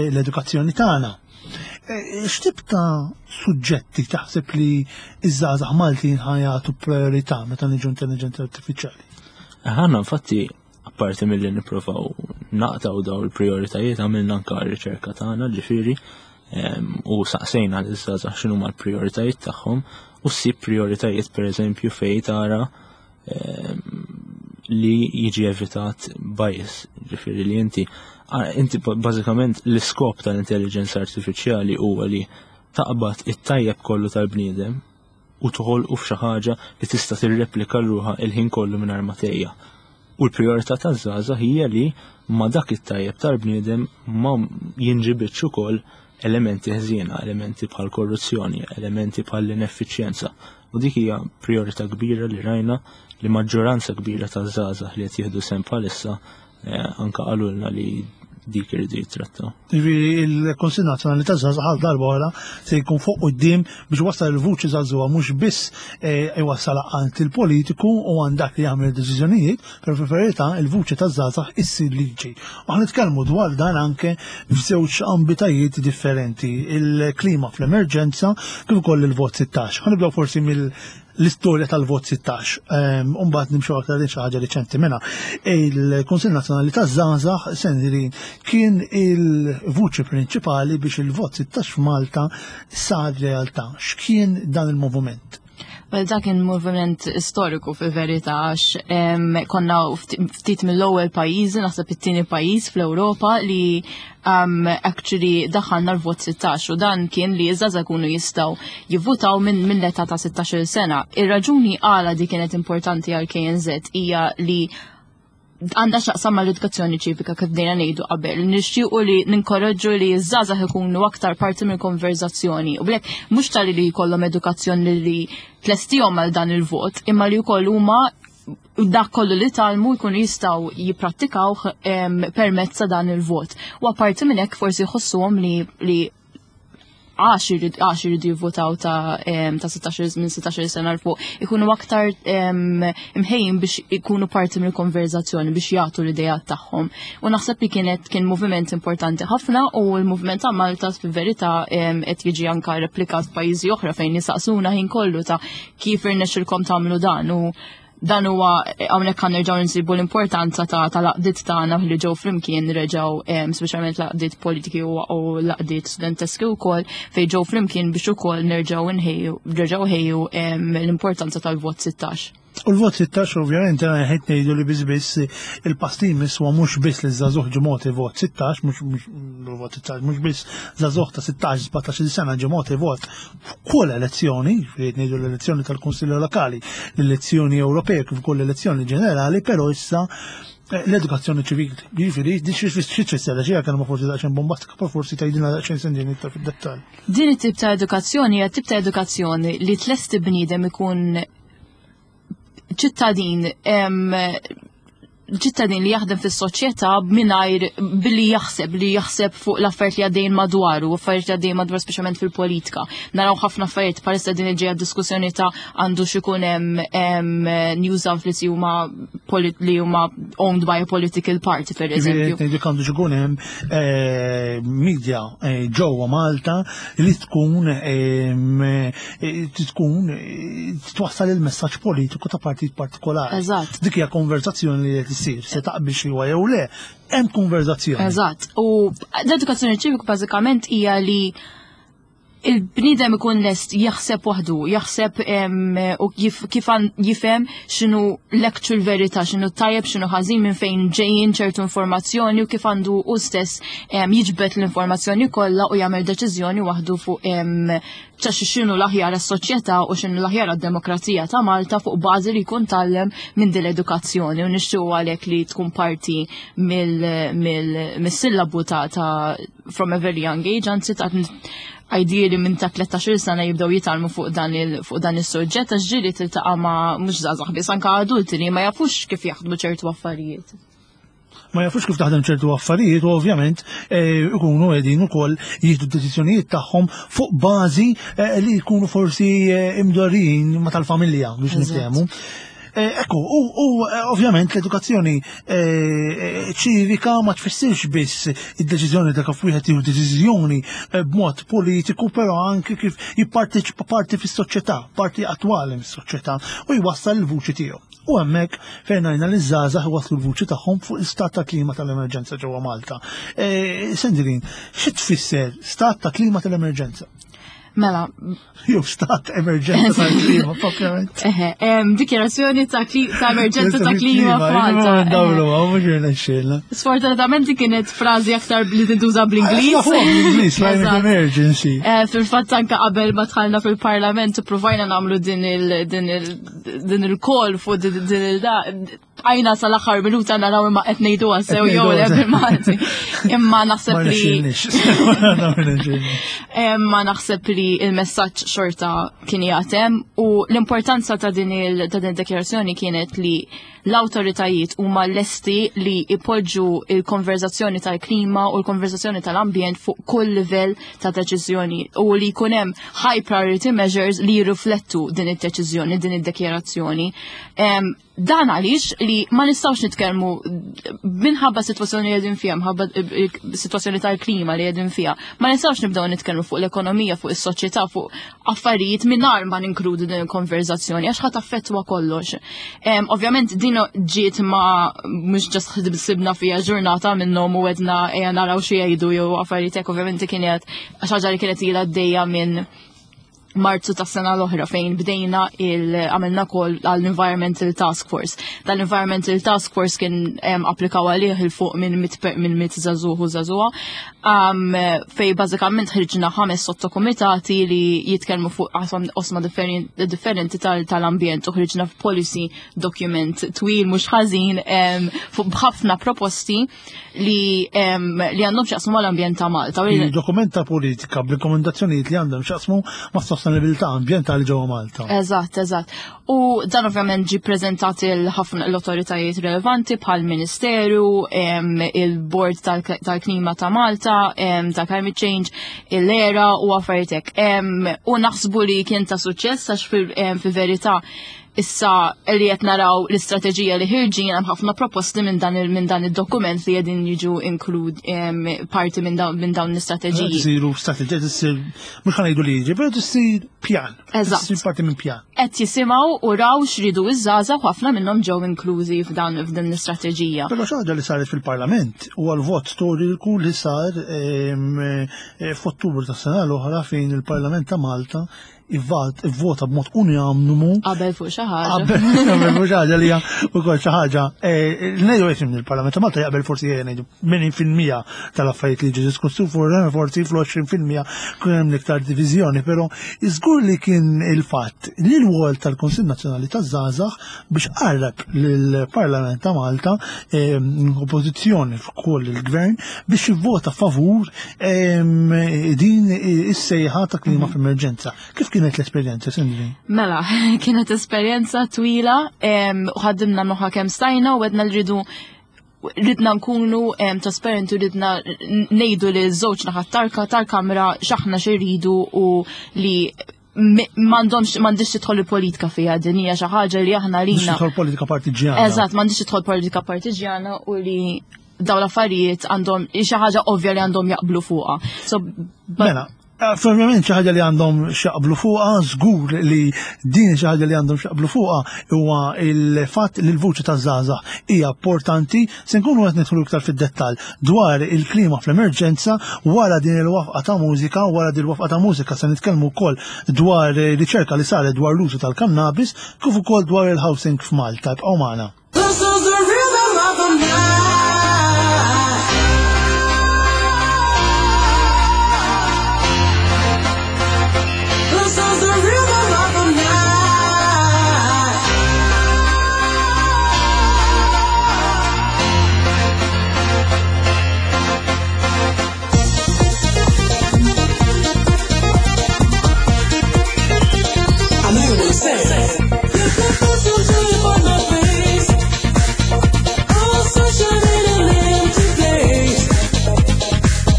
Speaker 1: l-edukazzjoni tagħna. X'tip ta' suġġetti taħseb li iż-żgħażagħ Maltin ħajatu priorità meta niġu intelligenza artifiċjali?
Speaker 3: Aħna infatti apparti milli nippruvaw naqtaw daw il-prioritajiet għamilna anke r-riċerka tagħna ġifieri u saqsejna liż-żgħażagħ x'inhuma l-prioritajiet tagħhom u ssib prioritajiet pereżempju fejn tara li jiġi evitat bias, ġifieri li inti inti bażikament l-iskop tal-intelligenza artifiċjali huwa li taqbad it-tajjeb kollu tal-bniedem u toħolqu f'xi ħaġa li tista' tirreplika ruħha il-ħin kollu mingħajr ma tgħejja. U l-prijorità taż-żgħażagħ hija li ma dak it-tajjeb tal-bniedem ma jinġibidx ukoll elementi ħżiena, elementi bħal korruzzjoni, elementi bħal ineffiċjenza. U dik hija priorità kbira li rajna li maġġoranza kbira ta' żgħażagħ li qed jieħdu sehem bħalissa anka qalulna li dik iridu jittrattaw.
Speaker 1: Ġifieri il-Kunsill Nazzjonali taż-Żgħażagħ għal darba oħra se jkun fuq quddiem biex wassal il-vuċi żagħżugħa mhux biss iwassal għand il-politiku u għand dak li jagħmel deċiżjonijiet, però fil-verità il-vuċi taż-żgħażagħ issir liġi. U aħna nitkellmu dwar dan anke f'żewġ ambitajiet differenti, il-klima fl-emerġenza kif ukoll il-vot 16. Ħa nibdew forsi mill l-istorja tal-vot 16. U mbagħad nimxu aktar lejn xi ħaġa riċenti minna. Il-Kunsill Nazzjonali taż-Żgħażagħ Sendri kien il-vuċi prinċipali biex il-vot 16 f'Malta sar realtà. X'kien dan il-moviment?
Speaker 2: Well, dak kien moviment storiku fil-verità għax konna ftit mill-ewwel pajjiżi, naħseb it-tieni pajjiż fl-Ewropa li actually daħħalna l-vot 16 u dan kien li iż-żgħażagħ ikunu jistgħu jivvutaw minn l-età ta' 16 sena. Ir-raġuni għala di kienet importanti għal KNZ hija li għandha x'taqsam mal-edukazzjoni ċivika kif bdejna ngħidu qabel. Nixtiequ li ninkoraġġu li ż-żgħażagħ ikunu aktar parti mill-konverzazzjoni. U blek mhux tali li jkollhom edukazzjoni li tlestihom għal dan il-vot, imma li wkoll huma dak kollu li talmu jkunu jistgħu jipprattikawh permezz ta' dan il-vot. U apparti minn hekk forsi jħossuhom li għax iridu jivvotaw ta' 16 minn 16 sena 'l fuq, ikunu aktar imħejjin biex ikunu parti mill-konverzazzjoni biex jagħtu l-idejat tagħhom. U naħseb li kien moviment importanti ħafna u l-moviment ta' Malta fil-verità qed jiġi anka replikat f'pajjiżi oħra fejn jisaqsuna ħin kollu ta' kif irnexxilkom tagħmlu dan u dan huwa hawnhekk kan nerġgħu nsibu l-importanza tal-għaqdiet tagħna li ġew flimkien reġgħu speċjalment l-għaqdiet politiki u l-għaqdiet studenteski wkoll fejn ġew flimkien biex ukoll nerġgħu nħejju, nerġgħu ħejju l-importanza tal-vot 16.
Speaker 1: U l-vot 16 ovvjament qed ngħidu li biss biss il-pass li jmiss huwa mhux biss li żagħżugħ ġie mogħti vot 16, mhux vot 16, mhux biss żagħżugħ ta' 16, 17 sena ġie mogħti vot f'kull elezzjoni, ġifieri qed ngħidu l-elezzjoni tal-Kunsilli Lokali, l-elezzjoni Ewropea kif ukoll l-elezzjoni ġenerali, però issa l-edukazzjoni ċivili. Ġifieri, di xi tfisser xi kelma forsi daqsxejn bombastika, però forsi tgħidilna daqsxejn sendin iktar fid-dettall.
Speaker 2: Din it-tip ta' edukazzjoni hija tip ta' edukazzjoni li tlesti bniedem ikun ċittadin. ċittadin li jaħdem fis-soċjetà mingħajr billi jaħseb li jaħseb fuq l-affarijiet li għaddejjin madwaru, affarijiet li għaddejjin madwar speċjalment fil-politika. Naraw ħafna affarijiet bħalissa din ġejja diskussjoni ta' għandu x'ikun hemm news outlets li huma li huma owned by a political party per eżempju.
Speaker 1: Dik għandu x'ikun hemm eh, media eh, ġewwa Malta li tkun eh, tkun twassal il-messaġġ politiku ta' partit partikolari.
Speaker 2: Eżatt.
Speaker 1: Dik hija konverzazzjoni li qed issir, se taqbil xi huwa jew le, hemm konverzazzjoni.
Speaker 2: Eżatt. U l-edukazzjoni ċivika bażikament hija li il-bniedem ikun lest jaħseb waħdu, jaħseb u kif jifhem x'inhu l-actual verità, x'inhu tajjeb, x'inhu ħażin minn fejn ġejjin ċertu informazzjoni u kif għandu hu stess jiġbed l-informazzjoni kollha u jagħmel deċiżjoni waħdu fuq ċax x'inhu l-aħjar għas-soċjetà u x'inhu l-aħjar għad-demokrazija ta' Malta fuq bażi li jkun tgħallem minn din l-edukazzjoni u nixtiequ għalhekk li tkun parti mill-sillabu ta' from a very young age, anzi ta' ideally minn ta' 13 sena jibdew jitgħallmu fuq dan il fuq dan is-suġġett għax ġieli tiltaqa' ma' mhux żgħażagħ biss anke adulti li ma jafux kif jaħdmu ċertu affarijiet.
Speaker 1: Ma jafux kif taħdem ċertu affarijiet u ovvjament eh, ikunu qegħdin ukoll jieħdu d-deċiżjonijiet tagħhom fuq bażi eh, li jkunu forsi eh, imdorrijin ma tal-familja biex niftehmu. Ekku, u ovvjament l-edukazzjoni ċivika ma tfissirx biss id-deċiżjoni ta' kif wieħed jieħu deċiżjoni b'mod politiku, però anke kif jipparteċipa parti fis-soċjetà, parti attwali mis-soċjetà u jwassal il-vuċi tiegħu. U hemmhekk fejn rajna li żgħażagħ iwasslu l-vuċi tagħhom fuq l-istat ta' klima tal-emerġenza ġewwa Malta. E, Sandrine, xi tfisser stat ta' klima tal-emerġenza?
Speaker 2: Mela.
Speaker 1: Jew stat emerġenza tal-klima, propjament.
Speaker 2: Eħe, dikjarazzjoni ta' emerġenza ta' klima f'Malta.
Speaker 1: Dawlu, mhux irnexxielna.
Speaker 2: Sfortunatament kienet frażi aktar li tintuża bl-Ingliż.
Speaker 1: Bl-Ingliż, climate emergency.
Speaker 2: Eh, fil-fatt anke qabel ma dħalna fil-Parlament provajna nagħmlu din il din il-kol fuq din il-da għajna sal-aħħar minuta naraw imma qed ngħiduha sew jew le bil-Malti. Imma naħseb li Imma naħseb li il-messaġġ xorta kien jagħtem u l-importanza ta' din il-dekjarazzjoni kienet li l-awtoritajiet huma lesti li ipoġġu il-konverzazzjoni tal-klima u l-konverzazzjoni tal-ambjent fuq kull livell ta' deċiżjoni u li jkun hemm high priority measures li jirriflettu din id-deċiżjoni, din id-dekjarazzjoni. Dan għaliex li ma nistgħux nitkellmu minħabba sitwazzjoni li qegħdin fiha, minħabba sitwazzjoni tal-klima li qegħdin fiha, ma nistgħux nibdew nitkellmu fuq l-ekonomija, fuq is-soċjetà, fuq affarijiet mingħajr ma ninkludu din il-konverzazzjoni għax ħadd affettwa kollox. Ovvjament din ġiet ma mhux ġast ħsibna fiha ġurnata minnhom u għedna ejja naraw xi jgħidu jew affarijiet hekk ovvjament kienet ħaġa li kienet ilha għaddejja minn Marzu tas sena l-oħra fejn bdejna il għamilna kol għall-Environmental Task Force. Dan-Environmental Task Force kien applikaw għalih il fuq minn mit żagħżugħ u żagħżugħa um, fej bażikament ħriġna ħames sottokumitati li jitkellmu fuq osma differenti tal-ambjent u ħriġna f'policy document twil mhux ħażin fuq b'ħafna proposti li li għandhom x'jaqsmu mal-ambjent ta' Malta.
Speaker 1: Dokument ta' politika b'rekomendazzjonijiet li għandhom x'jaqsmu ma' sostenibilità ambjentali ġewwa Malta.
Speaker 2: Eżatt, eżatt. U dan ovvjament ġi preżentat il-ħafna l-autoritajiet relevanti bħal Ministeru, il-Board tal-Klima ta' Malta, ta' Climate Change, l-ERA u affarijiet hekk. U naħsbu li kien ta' suċċess għax fil-verità issa li qed naraw l-istrateġija li ħirġin hemm ħafna proposti minn dan minn dan id-dokument li qegħdin jiġu inklud parti minn dawn l-istrateġiji.
Speaker 1: Isiru strateġija tissir mhux ħa ngħidu liġi, però tissir pjan.
Speaker 2: Eżatt.
Speaker 1: Tissir parti minn pjan.
Speaker 2: Qed jisimgħu u raw x'ridu iż-żgħażagħ u ħafna minnhom ġew inklużi f'dan f'din l-istrateġija.
Speaker 1: Però xi ħaġa li saret fil-Parlament huwa l-vot storiku li sar eh, f'Ottubru tas-sena l-oħra fejn il-Parlament ta' Malta ivvota b'mod unanimu.
Speaker 2: Qabel fuq xi ħaġa.
Speaker 1: Qabel fuq xi ħaġa li hija wkoll xi ħaġa. Eh, ngħidu qed il-Parlament ta' Malta jaqbel forsi ngħidu 80% tal-affarijiet li ġi diskussi forsi fl-20% kien hemm iktar diviżjoni, però żgur li kien il-fatt li l-wol tal-Kunsill Nazzjonali taż-Żgħażagħ biex qarreb lill-Parlament ta' Malta ehm, oppożizzjoni f'kull il-gvern biex jivvota favur ehm, din is-sejħa ta' klima mhm. f'emerġenza. Kif kienet l-esperjenza, Sindri?
Speaker 2: Mela, kienet esperjenza twila u ħaddimna moħħa kemm stajna u għedna l-ridu ridna nkunu trasparenti u ridna ngħidu li żewġ naħat tarka tal-kamra x'aħna xi u li m'għandhomx m'għandix tidħol il-politika fiha din hija xi ħaġa li aħna lina.
Speaker 1: Tidħol politika partiġjana.
Speaker 2: Eżatt, m'għandix tidħol politika partiġjana u li dawn l-affarijiet għandhom xi ħaġa ovvja li għandhom jaqblu fuqha.
Speaker 1: So, mela, eh, Ovvjament xi ħaġa li għandhom xaqblu fuqha, żgur li din xi ħaġa li għandhom xaqblu fuqha huwa il-fatt li l-vuċi taż-żgħażagħ hija importanti se nkunu qed nidħlu iktar fid-dettall dwar il-klima fl-emerġenza wara din il-wafqa ta' mużika, wara din il-wafqa ta' mużika se nitkellmu wkoll dwar riċerka li saret dwar l-użu tal-kannabis kif ukoll dwar il-housing f'Malta. Ibqgħu magħna. This is the rhythm of the night. This is the rhythm of the night. I knew what to say.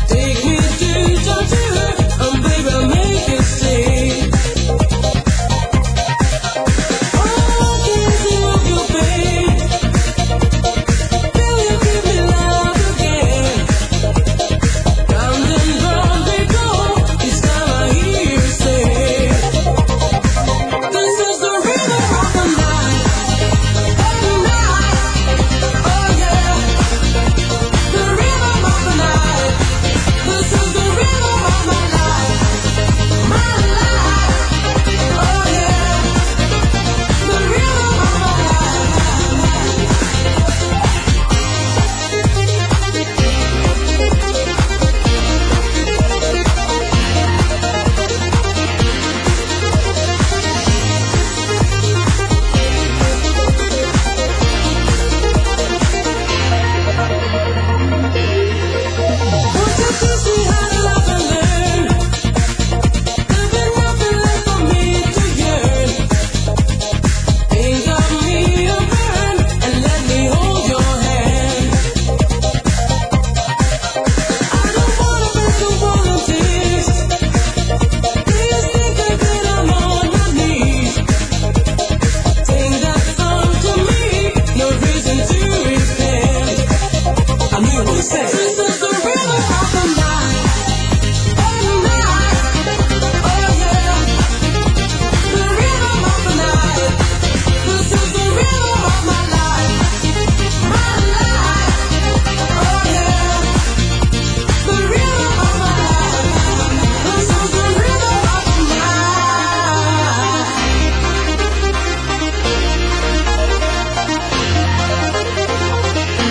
Speaker 1: Take me to talk to her, and baby, I'll make you see. Oh, kissing of your pain. Will you give me love again? Round and round we go. Each time I hear you say, This is the rhythm of the night. The night. Oh yeah. The rhythm of the night. This is the rhythm of my life. My life. Oh yeah. The rhythm of my life. Won't you teach me how to love and learn? There'll be nothing left for me to yearn. Think of me a burn and let me hold your hand. I don't wanna break the wall of tears. Please think again, I'm on my knees. Sing that song to me, no reason to repent. I knew what to say. This is the rhythm of the night. The night. Oh yeah. The rhythm of the night. This is the rhythm of my life. My life. Oh yeah. The rhythm of my life. This is the rhythm of the night.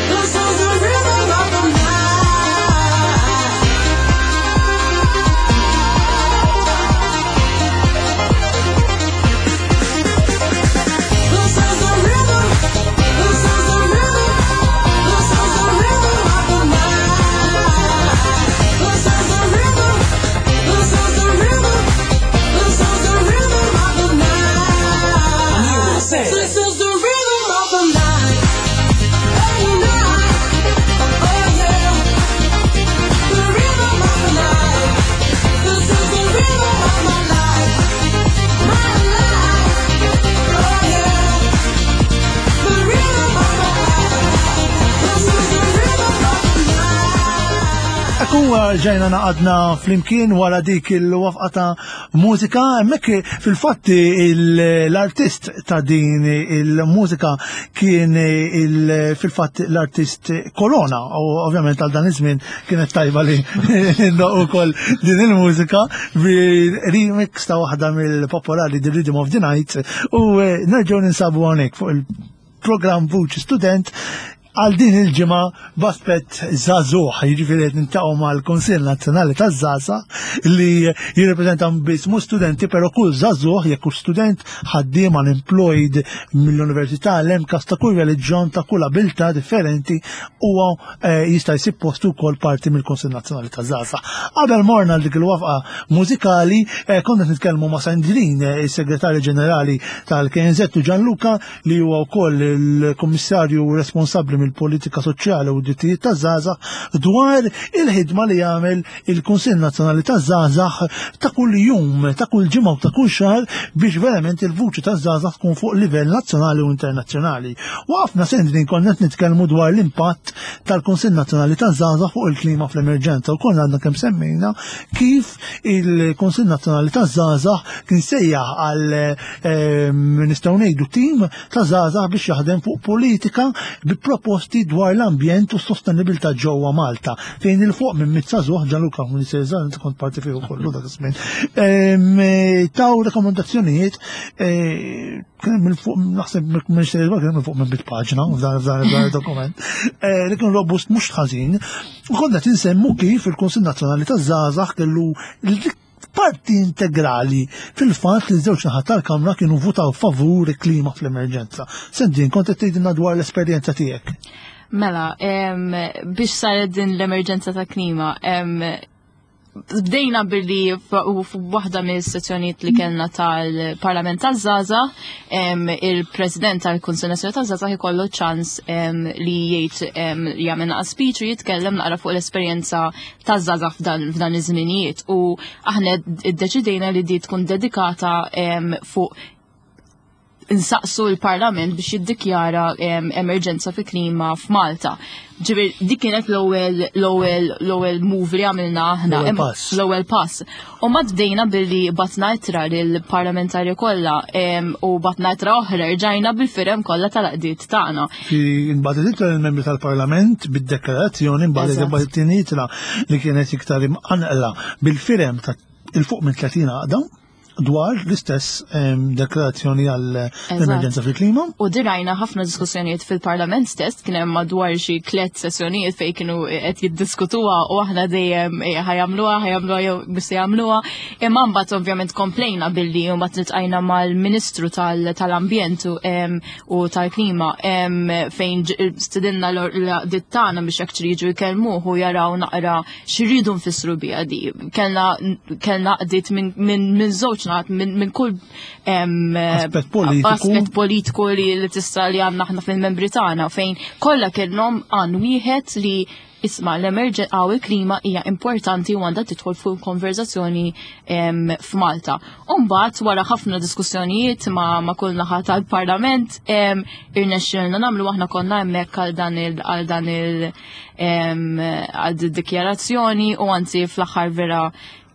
Speaker 1: This is the rhythm of the night. This is the rhythm. This is the rhythm. This is the rhythm of the night. This is the rhythm. This is the rhythm. This is the rhythm of the night. This is the rhythm of the night. The night. Oh yeah. The rhythm of the night. This is the rhythm of my life. My life. Oh yeah. The rhythm of my life. This is the rhythm of the night. Ekku ġejna naqadna flimkien wara dik il-wafqa ta' mużika, hemmhekk fil-fatti l-artist ta' din il-mużika kien fil-fatt l-artist Corona, u ovvjament għal dan iż-żmien kienet tajba li ndoqqu wkoll din il-mużika bi remix ta' waħda mill-popolari The Rhythm of the Night u nerġgħu ninsabu hawnhekk fuq il-programm Vuċi Student. għal din il-ġimgħa b'aspett żagħżugħ, jiġifieri qed niltaqgħu mal-Kunsill Nazzjonali taż-Żgħażagħ li jirrepreżenta biss mhux studenti, però kull żagħżugħ jekk hux student, ħaddiem unemployed mill-università, l-MCAST ta' kull reliġjon, ta' kull abilità differenti huwa eh, jista' jsib postu wkoll parti mill-Kunsill Nazzjonali taż-Żgħażagħ. Qabel morna għal dik il-wafqa mużikali, eh, konna nitkellmu ma' Sandrin, eh, is-Segretarju Ġenerali tal-KNZ u Gianluca li huwa wkoll il-Kummissarju responsabbli mill-politika soċjali u drittijiet taż-żgħażagħ dwar il-ħidma li jagħmel il-Kunsill Nazzjonali taż-Żgħażagħ ta' kull jum, ta' kull ġimgħa u ta' kull xahar biex verament il-vuċi taż-żgħażagħ tkun fuq livell nazzjonali u internazzjonali. Waqafna Sandrin konna qed nitkellmu dwar l-impatt tal-Kunsill Nazzjonali taż-Żgħażagħ fuq il-klima fl-emerġenza u konna għadna kemm semmejna kif il-Kunsill Nazzjonali taż-Żgħażagħ kien sejjaħ għal ehm, nistgħu ngħidu tim ta' żgħażagħ biex jaħdem fuq politika bi proposti dwar l-ambjent u s-sostenibilità ġewwa Malta fejn il fuq minn mit żagħżugħ Gianluca Minister Żgħażagħ kont parti fih ukoll dak iż-żmien. Ehm, taw rekomendazzjonijiet eh, kien minn fuq naħseb Minister Żgħażagħ kien minn fuq minn bit paġna f'dan f'dan dokument eh, li kien robust mhux ħażin. U konna tinsemmu kif il-Kunsill Nazzjonali taż-Żgħażagħ kellu parti integrali fil-fatt li żewġ naħat tal-Kamra kienu votaw favur il-klima fl-emerġenza. Sendin, kont qed tgħidilna dwar l-esperjenza tiegħek.
Speaker 2: Mela, biex saret din l-emerġenza ta' klima, bdejna billi f'waħda mill-sessjonijiet li kellna tal-Parlament taż-Żgħażagħ, il-President tal-Kunsill Nazzjonali taż-Żgħażagħ ikollu ċans li jgħid jagħmel naqra speech u jitkellem naqra fuq l-esperjenza taż-żgħażagħ f'dan iż-żminijiet u aħna iddeċidejna li di tkun dedikata fuq insaqsu l-Parlament biex jiddikjara emerġenza fi klima f'Malta. Ġifieri dik kienet l-ewwel l-ewwel l-ewwel move li għamilna aħna l-ewwel pass. U ma bdejna billi batna ittra lill-parlamentari kollha u batna ittra oħra rġajna bil-firem kollha tal-qdiet tagħna.
Speaker 1: Fi nbagħtet ittra lill-membri tal-Parlament bid-deklarazzjoni mbagħad imbagħad it-tieni ittra li kienet iktar imqanqla bil-firem ta' il fuq minn 30 għaqda dwar l-istess ehm, deklarazzjoni għall emerġenza fil-klima.
Speaker 2: U dirajna ħafna diskussjonijiet fil-parlament stess, kien hemm madwar xi tliet sessjonijiet fejn kienu qed jiddiskutuha u aħna dejjem eh, ħajamluha, ħajamluha jew biss jagħmluha. Imma mbagħad ovvjament komplejna billi mbagħad nitqajna mal-Ministru tal-Ambjent u tal-Klima fejn stidinna l-dittana tagħna biex actually jiġu jkellmuh u jaraw naqra x'irridu nfissru biha di. Kellna kellna qdiet minn min, min żewġ naħat minn min kull
Speaker 1: aspett politiku,
Speaker 2: aspett politiku li, li tista' li għandna aħna fil-membri tagħna fejn kollha kellhom għan wieħed li isma l-emerġen għaw il-klima hija importanti u għandha tidħol fuq konverzazzjoni f'Malta. Umbagħad wara ħafna diskussjonijiet ma, ma kull naħa tal-Parlament irnexxilna nagħmlu aħna konna hemmhekk għal dan il għal dan il għal dikjarazzjoni u anzi fl-aħħar vera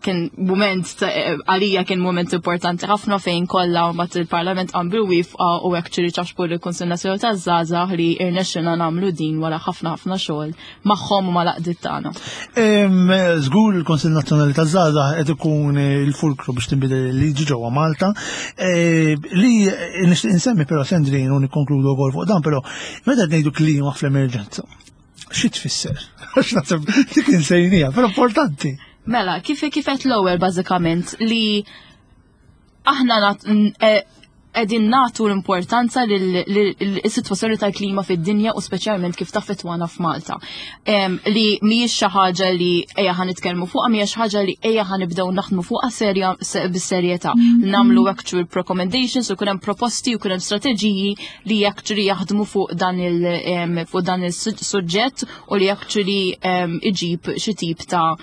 Speaker 2: kien moment għalija kien moment importanti ħafna fejn kollha mbagħad il-Parlament qam wifqa u actually ċaxpu lill-Kunsill Nazzjonali taż-Żgħażagħ li irnexxilna nagħmlu din wara ħafna ħafna xogħol magħhom u mal-għaqdiet tagħna.
Speaker 1: Żgur il-Kunsill Nazzjonali taż-Żgħażagħ qed ikun il-fulkru biex tinbidel il-liġi ġewwa Malta. E, li nixtieq insemmi però Sandrin u nikkonkludu wkoll fuq dan però meta ngħidu klima fl-emerġenza xi tfisser? Għax naħseb dik insejnija, però importanti.
Speaker 2: Mela, kif kifet l-ewwel bażikament li aħna e, qegħdin nagħtu l-importanza lill-sitwazzjoni tal-klima fid-dinja u speċjalment kif taffettwana f'Malta. Li mhijiex xi ħaġa li ejja ħa nitkellmu fuqha, mhijiex ħaġa li ejja ħa nibdew naħdmu fuqha serja bis-serjetà. Nagħmlu actual recommendations u hemm proposti u hemm strateġiji li actually jaħdmu fuq dan il fuq dan is-suġġett u li actually iġib xi tip ta'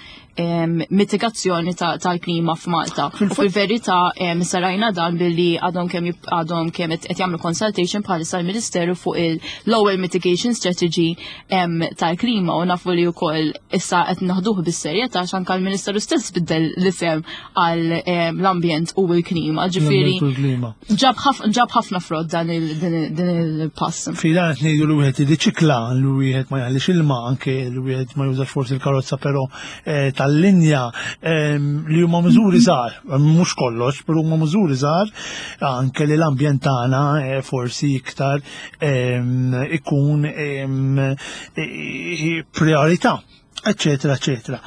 Speaker 2: mitigazzjoni tal-klima f'Malta. U fil-verità sarajna dan billi għadhom kemm għadhom kemm qed jagħmlu consultation bħalissa l-Ministeru fuq il-Lower Mitigation Strategy tal-klima u nafu li wkoll issa qed naħduh bis-serjetà għax anke l-Ministeru stess biddel l-isem għal l-ambjent u l-klima. Ġifieri ġab ħafna frott dan il-pass.
Speaker 1: Fi dan qed ngħidu li wieħed jirriċikla, li wieħed ma jaħlix ilma, anke li wieħed ma jużax forsi l-karozza però eh, tal tal-linja li huma miżuri żgħar, mhux kollox, però huma miżuri żgħar anke li l-ambjent tagħna eh, forsi iktar ikun priorità, eċetera, eċetera.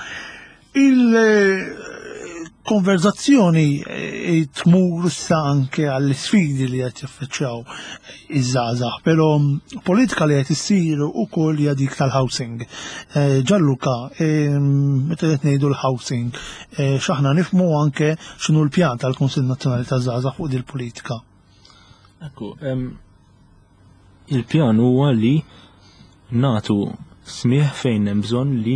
Speaker 1: Il-konverzazzjoni eh, tmur issa anke għall-sfidi li qed jaffaċċjaw iż-żgħażagħ, però politika li qed issir ukoll hija dik tal-housing. Eh, Gianluca, eh, meta qed ngħidu l-housing, x'aħna nifhmu anke x'inhu l-pjan tal-Kunsill Nazzjonali taż-Żgħażagħ fuq dil-politika.
Speaker 3: Ekku, il-pjan huwa li nagħtu smigħ fejn hemm bżonn li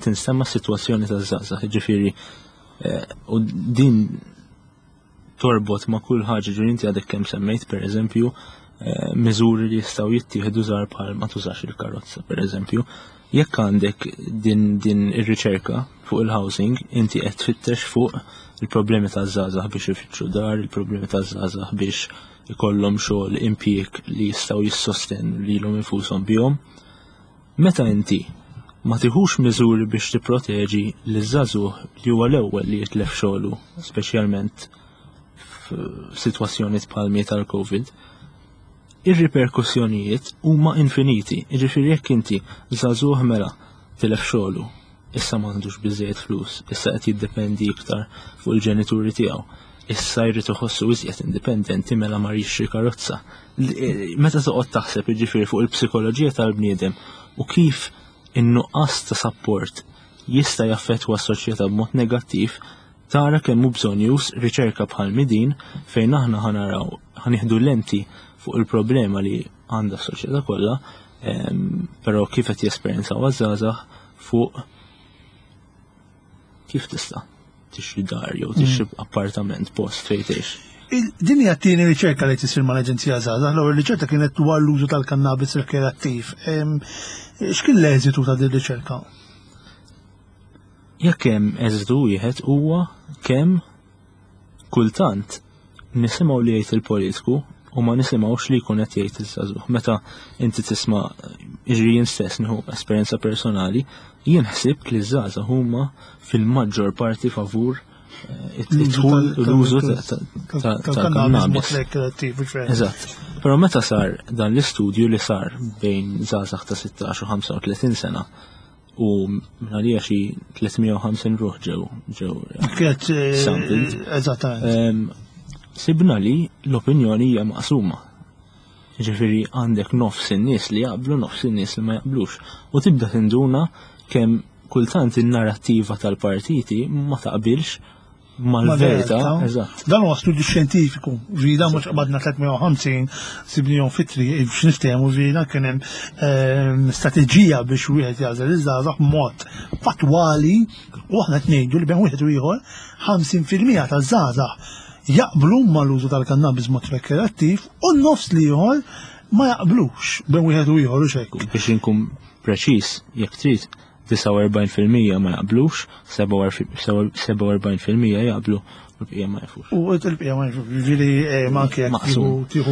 Speaker 3: tinstema' s-sitwazzjoni taż-żgħażagħ, jiġifieri eh, u din torbot ma' kull ħaġa ġifieri inti għadek kemm semmejt pereżempju eh, miżuri li jistgħu jittieħdu żgħar bħal ma tużax il-karozza pereżempju. Jekk għandek din din ir-riċerka fuq il-housing, inti qed tfittex fuq il-problemi taż-żgħażagħ biex ifittxu dar, il-problemi taż-żgħażagħ biex ikollhom xogħol impjieg li jistgħu jissostenu lilhom infushom bihom. Meta inti ma tiħux miżuri biex tipproteġi liż-żagħżugħ li huwa l-ewwel li jitlef xogħlu, speċjalment f'sitwazzjoni bħal tal-COVID, ir-riperkussjonijiet huma infiniti. Jiġifieri jekk inti żagħżugħ mela tilef xogħlu, issa m'għandux biżejjed flus, issa qed jiddependi iktar fuq il-ġenituri tiegħu, issa jrid iħossu iżjed indipendenti mela mar jixtri karozza. E, meta toqgħod taħseb jiġifieri fuq il-psikoloġija tal-bniedem u kif in-nuqqas ta' sapport jista' jaffettwa s-soċjetà b'mod negattiv, tara kemm hu bżonjuż riċerka bħal midin fejn aħna ħanaraw ħanieħdu lenti fuq il-problema li għandha s-soċjetà kollha, però kif qed jesperjenzaw għaż-żgħażagħ fuq kif tista' tixtri dar jew tixtri mm. appartament post fejn tgħix.
Speaker 1: Din hija t-tieni riċerka li tisir mal-Aġenzija Żgħażagħ, l-ewwel riċerka kienet dwar l-użu tal-kannabis rekreattiv. X'kien l-eżitu ta' din riċerka?
Speaker 3: Jekk hemm eżitu wieħed huwa kemm kultant nisimgħu li jgħid il-politiku u ma nisimgħux li jkun qed jgħid iż-żagħżugħ. Meta inti tisma' jiġri jien stess nieħu esperjenza personali, jien ħsibt li ż-żgħażagħ huma fil-maġġor parti favur eh, it-dħul l-użu tal-kannabis. Eżatt. Però meta sar dan l-istudju li sar bejn żgħażagħ ta' 16 u 35 sena, u għalija xi 350 ruħ ġew ġew
Speaker 1: Kienet eh, sampled. Eżattament.
Speaker 3: Sibna li l-opinjoni hija maqsuma. Ġifieri għandek nofs in-nies li jaqblu, nofs in-nies li ma jaqblux. U tibda tinduna kemm kultant in-narrattiva tal-partiti ma taqbilx mal-verità.
Speaker 1: Eżatt. Dan huwa studju xjentifiku, ġida mhux qbadna 350 sibnihom fitri biex niftehmu ġida kien hemm ehm, strateġija biex wieħed jagħżel iż-żgħażagħ b'mod fatwali u aħna qed ngħidu li bejn wieħed u ieħor 50% taż-żgħażagħ jaqblu mal-użu tal-kannabis mod rekreattiv u n-nofs li ieħor ma jaqblux bejn wieħed u ieħor u xejn.
Speaker 3: Biex inkun preċiż, jekk trid, 49% ma jaqblux, 47% jaqblu u l-bqija ma jafux.
Speaker 1: U l-bqija ma jafux, ġifieri eh, ma anke jekk tieħu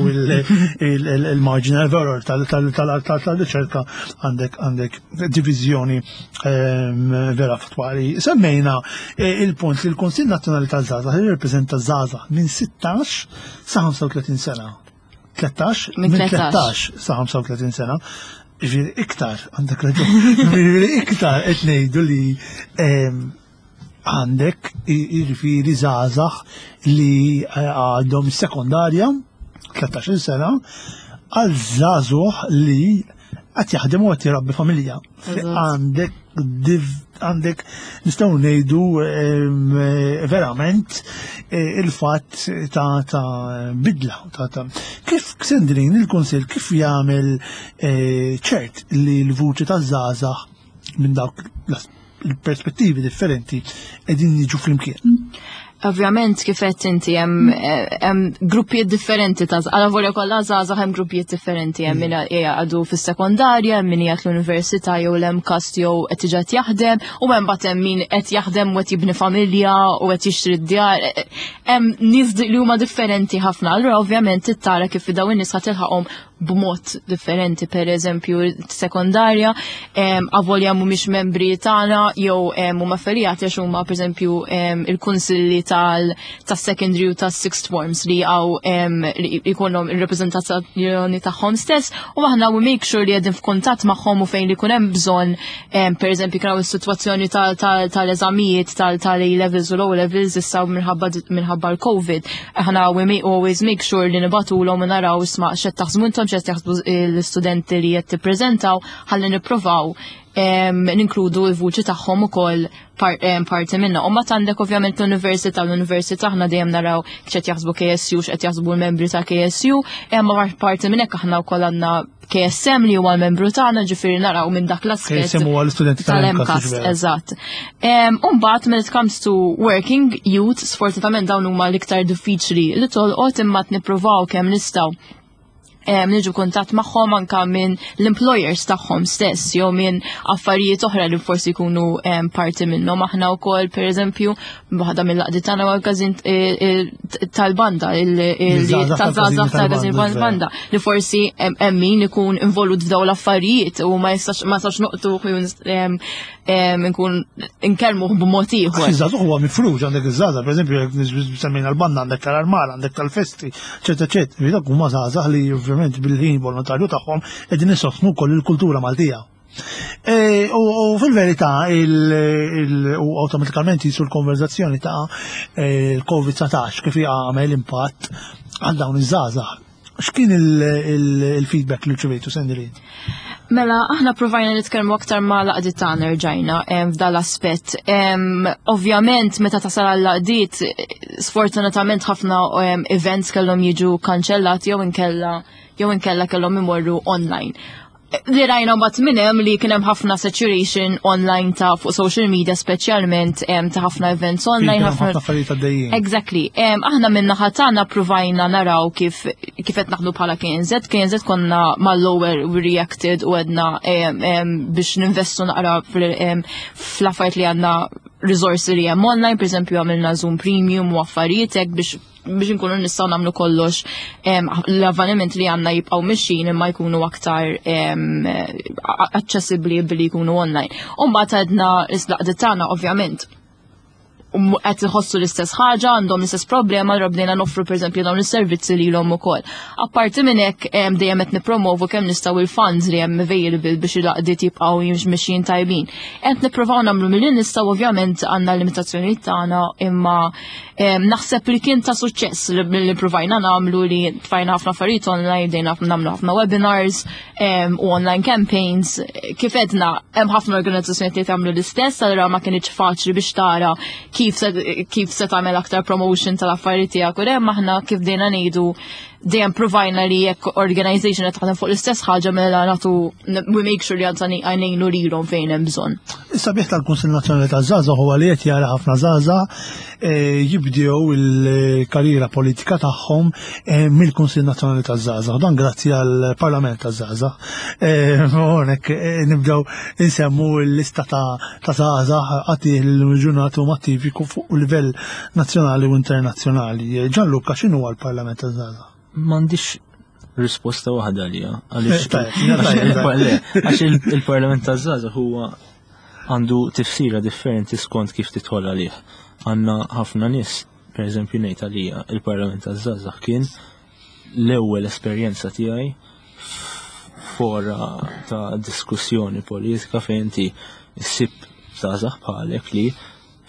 Speaker 1: il-marginal error tal-riċerka għandek għandek diviżjoni ehm, vera fatwali. Semmejna eh, il-punt li l-Kunsill Nazzjonali tal-Żgħażagħ jirrepreżenta żgħażagħ minn 16 sa 35 sena. 13, minn 13 sa 35 sena. Ġifieri iktar, għandek raġun. Ġifieri iktar qed ngħidu li ehm, għandek jiġifieri żgħażagħ li eh, għadhom sekondarja, 13 sena, għal żagħżugħ li qed jaħdem u qed jirabbi familja. Għandek għandek nistgħu ngħidu verament eh, il-fatt ta' ta' bidla ta' ta' kif Sendrin il-Kunsill kif jagħmel eh, ċert li l-vuċi taż-żgħażagħ minn dawk il-perspettivi differenti qegħdin jiġu flimkien.
Speaker 2: Ovvjament kif qed inti hemm hemm gruppijiet differenti ta' għala volja kollha żgħażagħ hemm gruppijiet differenti hemm min għadu fis-sekondarja, hemm min qiegħed l-università jew l-MCAST jew qed diġà qed jaħdem u hemm bagħad hemm min qed jaħdem u qed jibni familja u qed jixtri d-djar. Hemm nies li huma differenti ħafna. Allura ovvjament trid tara kif dawn in-nies ħa tilħaqhom b'mod differenti, per eżempju sekondarja, avolja mhumiex membri tagħna jew huma affiljati għax huma per eżempju il-kunsilli tas-secondary u tas-sixth forms li għaw li jkollhom ir-reprezentazzjoni tagħhom stess u aħna we make sure li qegħdin f'kuntatt magħhom u fejn li jkun hemm bżonn per eżempju kien is-sitwazzjoni tal-eżamijiet tal-A levels u l-O levels issa minħabba l-COVID. Aħna we may always make sure li nibagħtulhom u naraw isma' x'qed taħsbu intom x'qed jaħsbu l-istudenti li qed tippreżentaw ħalli nippruvaw ninkludu l-vuċi tagħhom ukoll parti minna. U mbagħad għandek ovvjament l-università, l-università aħna dejjem naraw x'qed jaħsbu KSU, x'qed jaħsbu l-membri ta' KSU, imma parti minn hekk aħna wkoll għandna KSM li huwa l-membru tagħna, ġifieri naraw minn dak l-aspett.
Speaker 1: KSM huwa l-istudenti
Speaker 2: tal-MCAST, eżatt. Umbagħad when it comes to working youth, sfortunatament dawn huma l-iktar diffiċli li tolqot imma nippruvaw kemm nistgħu niġu kuntatt magħhom anka minn l-employers tagħhom stess jew minn affarijiet oħra li forsi jkunu parti minnhom. Aħna wkoll pereżempju waħda mill-għaqdiet tagħna huwa l-każin tal-banda, taż-żgħażagħ tal-każin tal-banda li forsi hemm min ikun involut f'dawn l-affarijiet u ma jistax ma jistax noqtu nkun nkellmuh b'mod ieħor.
Speaker 1: Iż-żagħżugħ huwa mifrux għandek iż-żgħażagħ, pereżempju jekk semmejna l-banda għandek tal-armar, għandek tal-festi, eċetera, eċetera. Dak huma żgħażagħ li ovvjament bil-ħin volontarju tagħhom qegħdin isostnu wkoll il-kultura Maltija. U fil-verità u awtomatikament jisu l-konverzazzjoni ta' il-COVID-19 kif għamel impatt għal dawn iż-żgħażagħ. X'kien il-feedback li rċevejtu, Sandrine?
Speaker 2: Mela, aħna provajna nitkellmu aktar ma' l-għaqdiet tagħna rġajna f'dal aspett. Ovvjament, meta tasal għall-għaqdiet, sfortunatament ħafna events kellhom jiġu kanċellati jew inkella kellhom imorru online. Li rajna mbagħad minn hemm li kien hemm ħafna saturation online ta' fuq social media speċjalment ta' ħafna events online.
Speaker 1: Ħafna affarijiet għaddejjin.
Speaker 2: Exactly. Aħna minn naħa tagħna provajna naraw kif qed naħdu bħala KNZ. KNZ konna mal-ewwel we reacted u għedna biex ninvestu naqra fl-affarijiet li għandna resources li hemm online, per eżempju għamilna Zoom Premium u affarijiet hekk biex nkunu nistgħu nagħmlu kollox l-avveniment li għandna jibqgħu mixin imma jkunu aktar aċċessibbli billi jkunu online. U mbagħad għedna l-għaqdiet tagħna ovvjament qed iħossu l-istess ħaġa, għandhom l-istess problema, allura bdejna noffru pereżempju dawn is-servizzi lilhom ukoll. Apparti minn hekk dejjem qed nippromovu kemm nistgħu il-funds li hemm available biex il-għaqdiet jibqgħu mixjin tajbin. Qed nippruvaw nagħmlu milli nistgħu ovvjament għandna l-limitazzjonijiet tagħna imma naħseb li kien ta' suċċess li provajna nagħmlu li tfajna ħafna affarijiet online, bdejna nagħmlu ħafna webinars u online campaigns. Kif edna hemm ħafna organizzazzjonijiet li tagħmlu l-istess, allura ma kienx faċli biex tara kif se tagħmel aktar promotion tal-affarijiet tiegħek u hemm aħna kif bdejna ngħidu dejjem provajna li jekk organization qed taħdem fuq l-istess ħaġa mela nagħtu we make sure li għandna ngħinu lilhom fejn hemm bżonn.
Speaker 1: Is-sabiħ tal-Kunsill Nazzjonali taż-Żgħażagħ huwa li qed jara ħafna żgħażagħ jibdew il-karriera politika tagħhom mill-Kunsill Nazzjonali taż-Żgħażagħ. Dan grazzi għall-Parlament taż-Żgħażagħ. Hawnhekk nibdew insemmu l-lista ta' żgħażagħ għati l-ġurnati huma attivi fuq livell nazzjonali u internazzjonali. Gianluca, x'inhu l-Parlament taż-Żgħażagħ?
Speaker 3: M'għandix risposta waħda għalija. Għaliex il-Parlament taż-Żgħażagħ huwa għandu tifsira differenti skont kif tidħol għalih. Għandna ħafna nies, per eżempju ngħid għalija, il-Parlament taż-Żgħażagħ kien l-ewwel esperjenza tiegħi fora ta' diskussjoni politika fejn inti ssib żgħażagħ bħalek li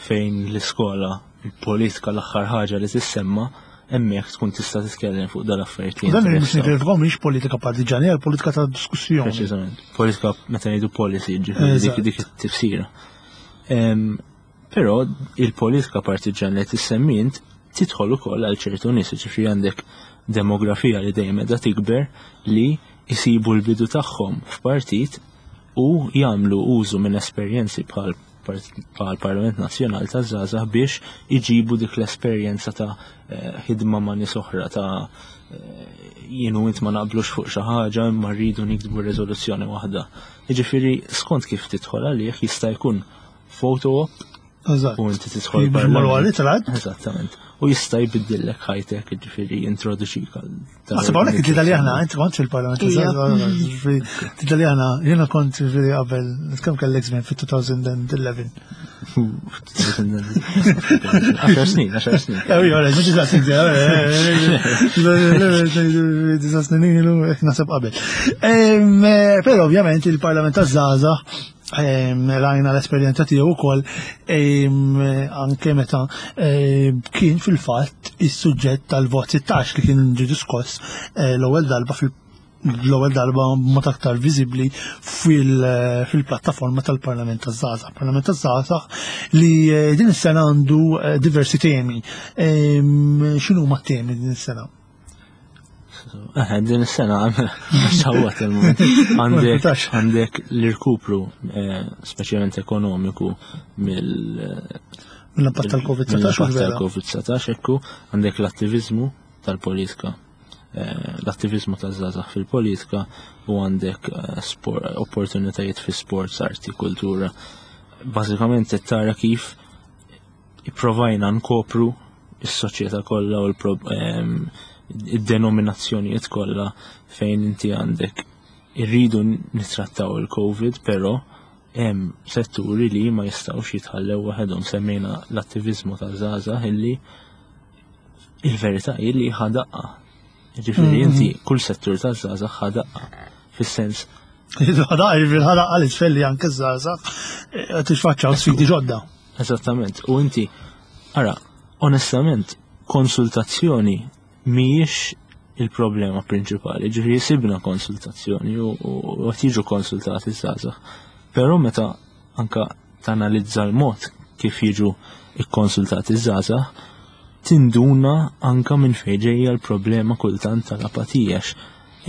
Speaker 3: fejn l-iskola il-politika l-aħħar ħaġa li tissemma hemmhekk tkun tista' titkellem fuq dal-affarijiet li
Speaker 1: Dan biex nifhimkom mhix politika partiġani, hija politika ta' diskussjoni.
Speaker 3: Preċiżament. Politika meta ngħidu policy, ġifieri dik it-tifsira. Però il-politika partiġani li tissemmi int tidħol ukoll għal ċertu nies, ġifieri għandek demografija li dejjem qiegħda tikber li jisibu l-bidu tagħhom f'partit u jagħmlu użu minn esperjenzi bħal Parlament Nazzjonali ta' Żgħażagħ biex iġibu dik l-esperjenza ta' ħidma ma' nies oħra ta' jienu int ma naqblux fuq xi ħaġa imma rridu niktbu riżoluzzjoni waħda. Jiġifieri skont kif tidħol għalih jista' jkun photo op u inti tidħol
Speaker 1: parlament.
Speaker 3: Eżattament. U jista' jbiddillek ħajtek, ġifieri jintroduċik għal.
Speaker 1: Naħseb hawnhekk it-tlieta li aħna, inti kont fil-Parlament, ġifieri tlieta li aħna, jiena kont ġifieri qabel, kemm kellek żmien fit-2011?
Speaker 3: 10 snin, 10 snin.
Speaker 1: Ejja, mhux disa' snin, disa' snin ilu, naħseb qabel. Però ovvjament il-Parlament taż-żgħażagħ rajna l-esperjenza tiegħu wkoll anke meta kien fil-fatt is-suġġett tal-vot 16 li kien ġie diskoss eh, l-ewwel darba fil l-ewwel darba mod aktar viżibbli fil-plattaforma tal-Parlament taż-Żgħażagħ. Parlament taż-Żgħażagħ li eh, din is-sena għandu eh, diversi temi. X'inhuma t-temi din is-sena?
Speaker 3: Eh, din is-sena sawwat il-moment. Għandek għandek l-irkupru eh, speċjalment ekonomiku mill
Speaker 1: mill-impatt tal-Covid-19
Speaker 3: tal-Covid-19 ekku għandek l-attivizmu tal-politika eh, l-attivizmu taż-żgħażagħ fil-politika u għandek opportunitajiet fi sports, arti, kultura. Bażikament qed tara kif ipprovajna nkopru is-soċjetà kollha u id-denominazzjonijiet kollha fejn inti għandek irridu nittrattaw il-COVID, però hemm setturi li ma jistgħux jitħallew waħedhom semmejna l-attiviżmu ta' żgħażagħ illi il-verità hi li ħadaqqa. Ġifieri mm-hmm. inti kull settur ta' żgħażagħ ħadaqqa fis-sens
Speaker 1: Ħadaqqa ġifieri ħadaqqa l-isfel li anke żgħażagħ eh, tixfaċċaw sfidi ġodda.
Speaker 3: Eżattament. U inti, ara, onestament, konsultazzjoni mhijiex il-problema prinċipali, ġifieri sibna konsultazzjoni u qed jiġu konsultati żgħażagħ. Però meta anka tanalizza l-mod kif jiġu ikkonsultati żgħażagħ, tinduna anka minn fejn ġejja l-problema kultant tal-apatija.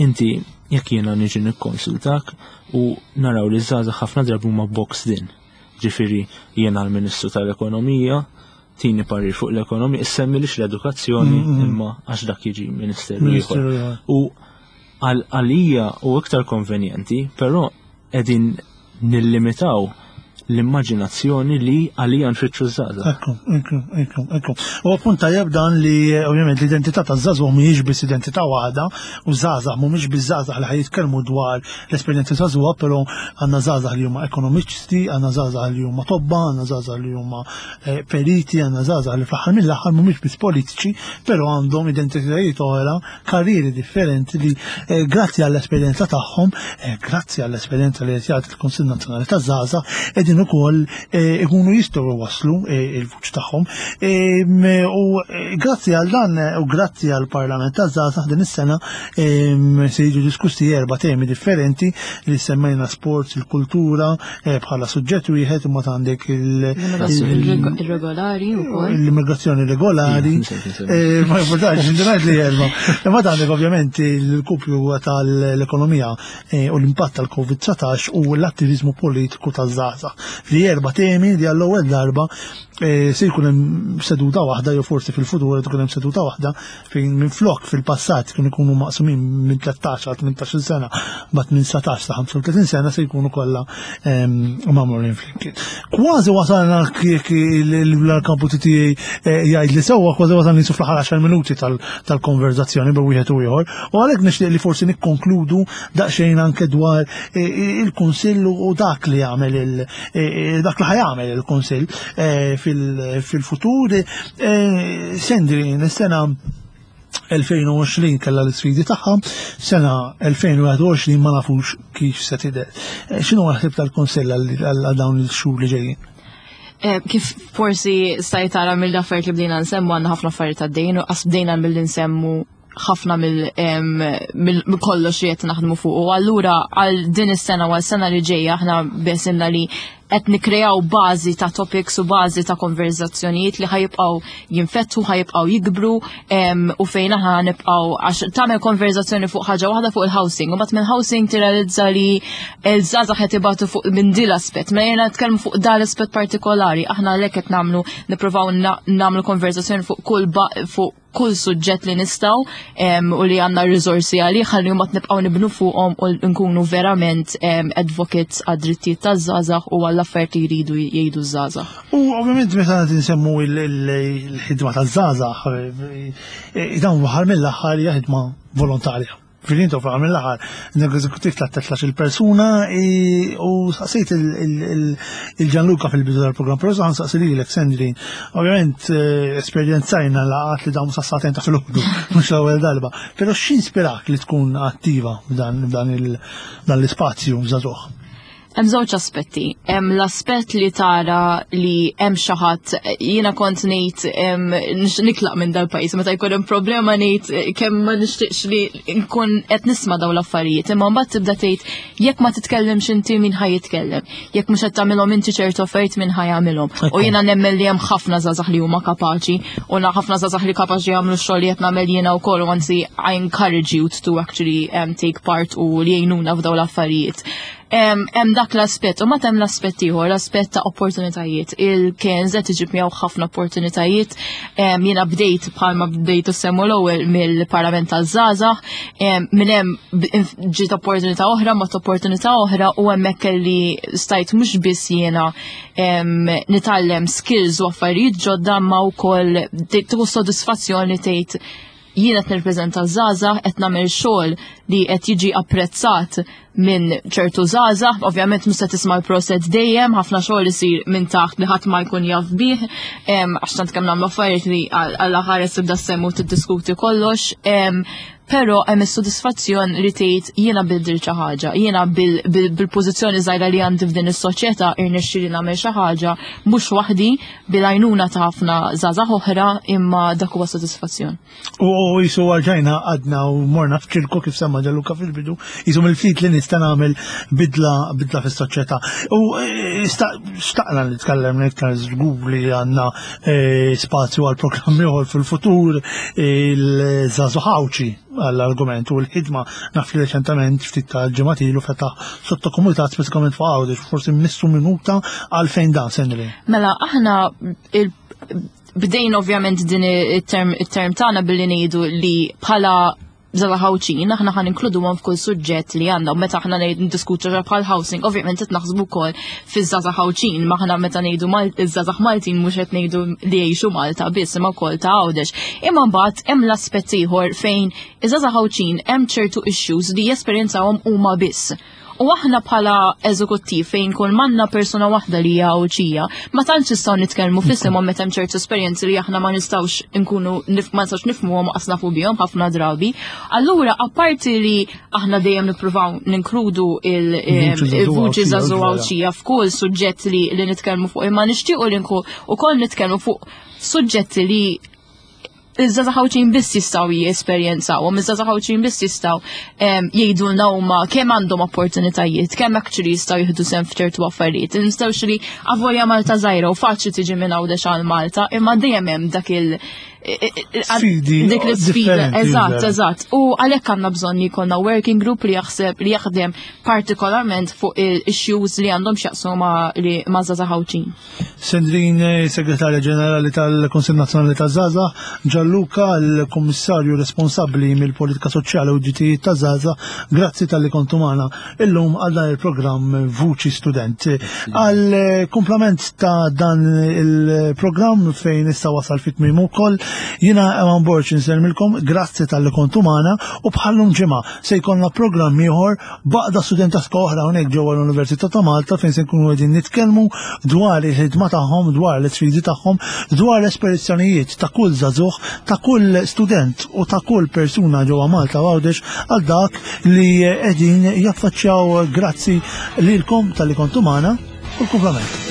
Speaker 3: Inti jekk jiena niġi nikkonsultak u naraw li żgħażagħ ħafna drabi huma boxed in. Ġifieri jiena l-Ministru tal-Ekonomija, tini parir fuq l-ekonomija, issemmilix l-edukazzjoni mm-hmm. imma għax dak jiġi ministeru ieħor. U għalija u iktar konvenjenti, però qegħdin nillimitaw l-immaġinazzjoni li għalija nfittxu żgħażagħ.
Speaker 1: Ekku, ekku, ekku, ekku. U appunt tajjeb dan li ovvjament l-identità taż-żagħżugħ mhijiex biss identità waħda u żgħażagħ mhumiex biss żgħażagħ li ħajitkellmu dwar l-esperjenza żagħżugħa, però għandna żgħażagħ li huma ekonomiċisti, għandna żgħażagħ li huma tobba, għandna żgħażagħ li huma eh, periti, għandna żgħażagħ li fl-aħħar mill-aħħar mhumiex biss politiċi, però għandhom identitajiet oħra, karrieri differenti li eh, grazzi għall-esperjenza tagħhom, eh, grazzi għall-esperjenza li qed jagħti l-Kunsill Nazzjonali taż-Żgħażagħ, qegħdin ukoll ikunu jistgħu jwasslu il-vuċ tagħhom. U grazzi għal dan u grazzi għall Parlament taż-Żgħażagħ din is-sena se jiġu diskussi erba' temi differenti li semmejna sports, il-kultura eh, bħala suġġett wieħed imma għandek
Speaker 2: il-regolari wkoll.
Speaker 1: L-immigrazzjoni regolari. Eh, ma jimportax, indunajt li erba. Imma għandek ovvjament il-kupju tal-ekonomija eh, u l-impatt tal-Covid-19 u l-attivizmu politiku taż-żgħażagħ. Li erba' temi li għall-ewwel darba se jkun hemm seduta waħda jew forsi fil-futur tkun hemm seduta waħda fejn minflok fil-passat kienu jkunu maqsumin minn 13 għal 18 sena, bat minn 19 sa 35 sena se jkunu kollha ehm, magħmulin flimkien. Kważi wasalna jekk il-kampu tiegħi eh, jgħid li sewwa kważi wasalna nisu fl-aħħar 10 minuti tal-konverzazzjoni bejn wieħed u ieħor, u għalhekk nixtieq li forsi nikkonkludu daqsxejn anke dwar eh, il-Kunsill u dak li jagħmel il eh, dak li ħajamel il-Kunsill fil-futur. Sendri, is-sena 2020 kellha l-isfidi tagħha, sena 2021 ma nafux kif se tidher. X'inhu ħsieb tal-Kunsill għal dawn il-xhur li ġejjin?
Speaker 2: Kif forsi stajt tara mill-affarijiet li bdejna nsemmu għandna ħafna affarijiet għaddejjin u qas bdejna mill nsemmu ħafna mill kollox li qed naħdmu fuq. U allura għal din is-sena u għal sena li ġejja aħna besimna li qed nikkreaw bażi ta' topics u bażi ta' konverzazzjonijiet li ħajibqgħu jinfetħu, ħajibqgħu jikbru u fejn aħna nibqgħu għax tagħmel konverzazzjoni fuq ħaġa waħda fuq il-housing u mbagħad mill-housing tirrealizza li l-żgħażagħ qed ibatu fuq minn din l-aspett. Ma jiena nitkellmu fuq dan l-aspett partikolari, aħna għalhekk qed nagħmlu nippruvaw nagħmlu konverzazzjoni fuq kull fuq kull suġġett li nistgħu u li għandna riżorsi għalih ħalli mbagħad nibqgħu nibnu fuqhom u nkunu verament advocates għad-drittijiet taż-żgħażagħ u għall-affarijiet li jridu jgħidu ż-żgħażagħ.
Speaker 1: U ovvjament meta nsemmu il-ħidma taż-żgħażagħ, eh, dawn waħar mill-aħħar hija ħidma volontarja. Fil-intu fl mill-aħħar, l-eżekutiv ta' 13 persuna u saqsejt il-Gianluca fil-bidu tal-programm, però saħan saqsi lilek, Sandrine. Ovvjament eh, esperjenzajna laqat li dawn sassaten ta' fil-ħodu, mhux l-ewwel darba. Però x'inspirak li tkun attiva f'dan l-ispazju żagħżugħ?
Speaker 2: Hemm żewġ aspetti. Hemm l-aspett li tara li hemm xi ħadd jiena kont ngħid nitlaq minn dal-pajjiż meta jkun hemm problema ngħid eh, kemm ma nixtieqx li nkun qed nisma' dawn l-affarijiet. Imma mbagħad tibda tgħid jekk ma titkellimx inti min ħa jitkellem. Jekk mhux qed tagħmilhom inti ċertu affarijiet min ħa jagħmilhom. U jiena nemmen li hemm ħafna żgħażagħ li huma kapaċi u ħafna żgħażagħ li kapaċi jagħmlu x-xogħol li qed nagħmel jiena wkoll u anzi I encourage you to actually take part u li jgħinuna f'dawn l-affarijiet. Hemm dak l-aspett, u ma hemm l-aspett ieħor, l-aspett ta' opportunitajiet. Il-KNZ iġib miegħu ħafna opportunitajiet. Jiena bdejt bħalma bdejt semmu l-ewwel mill-Parlament taż-żgħażagħ, minn hemm ġiet opportunità oħra, mat opportunità oħra u hemmhekk kelli stajt mhux biss jiena nitgħallem skills u affarijiet ġodda ma wkoll tieħu sodisfazzjon li tgħid jien qed nirrepreżenta żgħażagħ qed nagħmel xogħol li qed jiġi apprezzat minn ċertu żgħażagħ, ovvjament mhux se tisma' l-proset dejjem, ħafna xogħol isir minn taħt li ħadd ma jkun jaf bih, għax tant kemm nagħmlu affarijiet li għal ħares tibda semmu tiddiskuti kollox. Però hemm is-sodisfazzjon li tgħid jiena biddil xi ħaġa, jiena bil-pożizzjoni żgħira li għandi f'din is-soċjetà irnexxieli nagħmel xi ħaġa mhux waħdi bil-għajnuna ta' ħafna żgħażagħ oħra imma dak huwa sodisfazzjon.
Speaker 1: U jisu għarġajna għadna u morna f'ċirku kif semma Gianluca fil-bidu, jisu mill-ftit li nista' nagħmel bidla bidla fis-soċjetà. U e, xtaqna li tkellem iktar żgur li għandna e, spazju għal programmi ieħor fil-futur il-żagħżugħ Għawdxi għall-argument u l-ħidma naf li reċentament ftit ta' ġimgħat ilu fetaħ sottokomunità speċifikament fuq Għawdex, forsi missu minuta għalfejn dan Sendri.
Speaker 2: Mela aħna bdejn ovvjament din it-term it-term tagħna billi ngħidu li bħala żgħażagħ Għawdxin aħna ħan inkluduhom f'kull suġġett li għandna u meta aħna ngħid ndiskutu ġa bħal housing, ovvjament qed naħsbu wkoll fiż-żgħażagħ Għawdxin, ma aħna meta ngħidu iż-żgħażagħ Maltin mhux qed ngħidu li jgħixu Malta biss imma wkoll ta' Għawdex. Imma mbagħad hemm l-aspett ieħor fejn iż-żgħażagħ Għawdxin hemm ċertu issues li jesperjenzawhom huma biss. U aħna bħala eżekuttiv fejn kull manna persuna waħda li hija Għawdxija, ma tantx nistgħu nitkellmu f'isimhom meta hemm ċertu esperjenzi li aħna ma nistgħux inkunu ma nistgħux nifhmuhom qas nafu bihom ħafna drabi. Allura apparti li aħna dejjem nippruvaw ninkludu il-vuċi żagħżugħa Għawdxija f'kull suġġett li, li nitkellmu fuq imma nixtiequ li nkun ukoll nitkellmu fuq suġġetti li iż-żgħażagħ Għawdxin biss jistgħu jesperjenzawhom, iż-żgħażagħ Għawdxin biss jistgħu jgħidulna huma kemm għandhom opportunitajiet, kemm actually jistgħu jieħdu sehem f'ċertu affarijiet. Nistgħux li avolja Malta żgħira u faċli tiġi minn Għawdex għal Malta, imma dejjem hemm dak il-
Speaker 1: Sfidi
Speaker 2: dik l-sfida,
Speaker 1: differenti,
Speaker 2: eżatt,
Speaker 1: vera.
Speaker 2: eżatt. U għalhekk għandna bżonn li jkollna working group li jaħseb li jaħdem partikolarment fuq il-issues li għandhom x'jaqsmu ma' li ma' żgħażagħ Għawdxin.
Speaker 1: Sandrine, Segretarja Ġenerali tal-Kunsill Nazzjonali taż-Żgħażagħ, Gianluca, l-Kummissarju responsabbli mill-Politika Soċjali u d-Drittijiet taż-Żgħażagħ, grazzi talli kontu magħna illum għal dan il-programm Vuċi Student. Għal kumplament ta' dan il-programm fejn issa wasal fit tmiem ukoll, jiena Ewan Borg insellmilkom, grazzi talli kontu magħna u bħallum ġimgħa se jkollna programm ieħor B'għaqda studentaska oħra hawnhekk ġewwa l-Università ta' Malta fejn se nkunu qegħdin nitkellmu dwar il-ħidma tagħhom, dwar l-isfidi tagħhom, dwar l-esperizzjonijiet ta' kull żagħżugħ, ta' kull student u ta' kull persuna ġewwa Malta u Għawdex għal dak li qegħdin jaffaċċjaw. Grazzi lilkom talli kontu magħna u l-kumplament.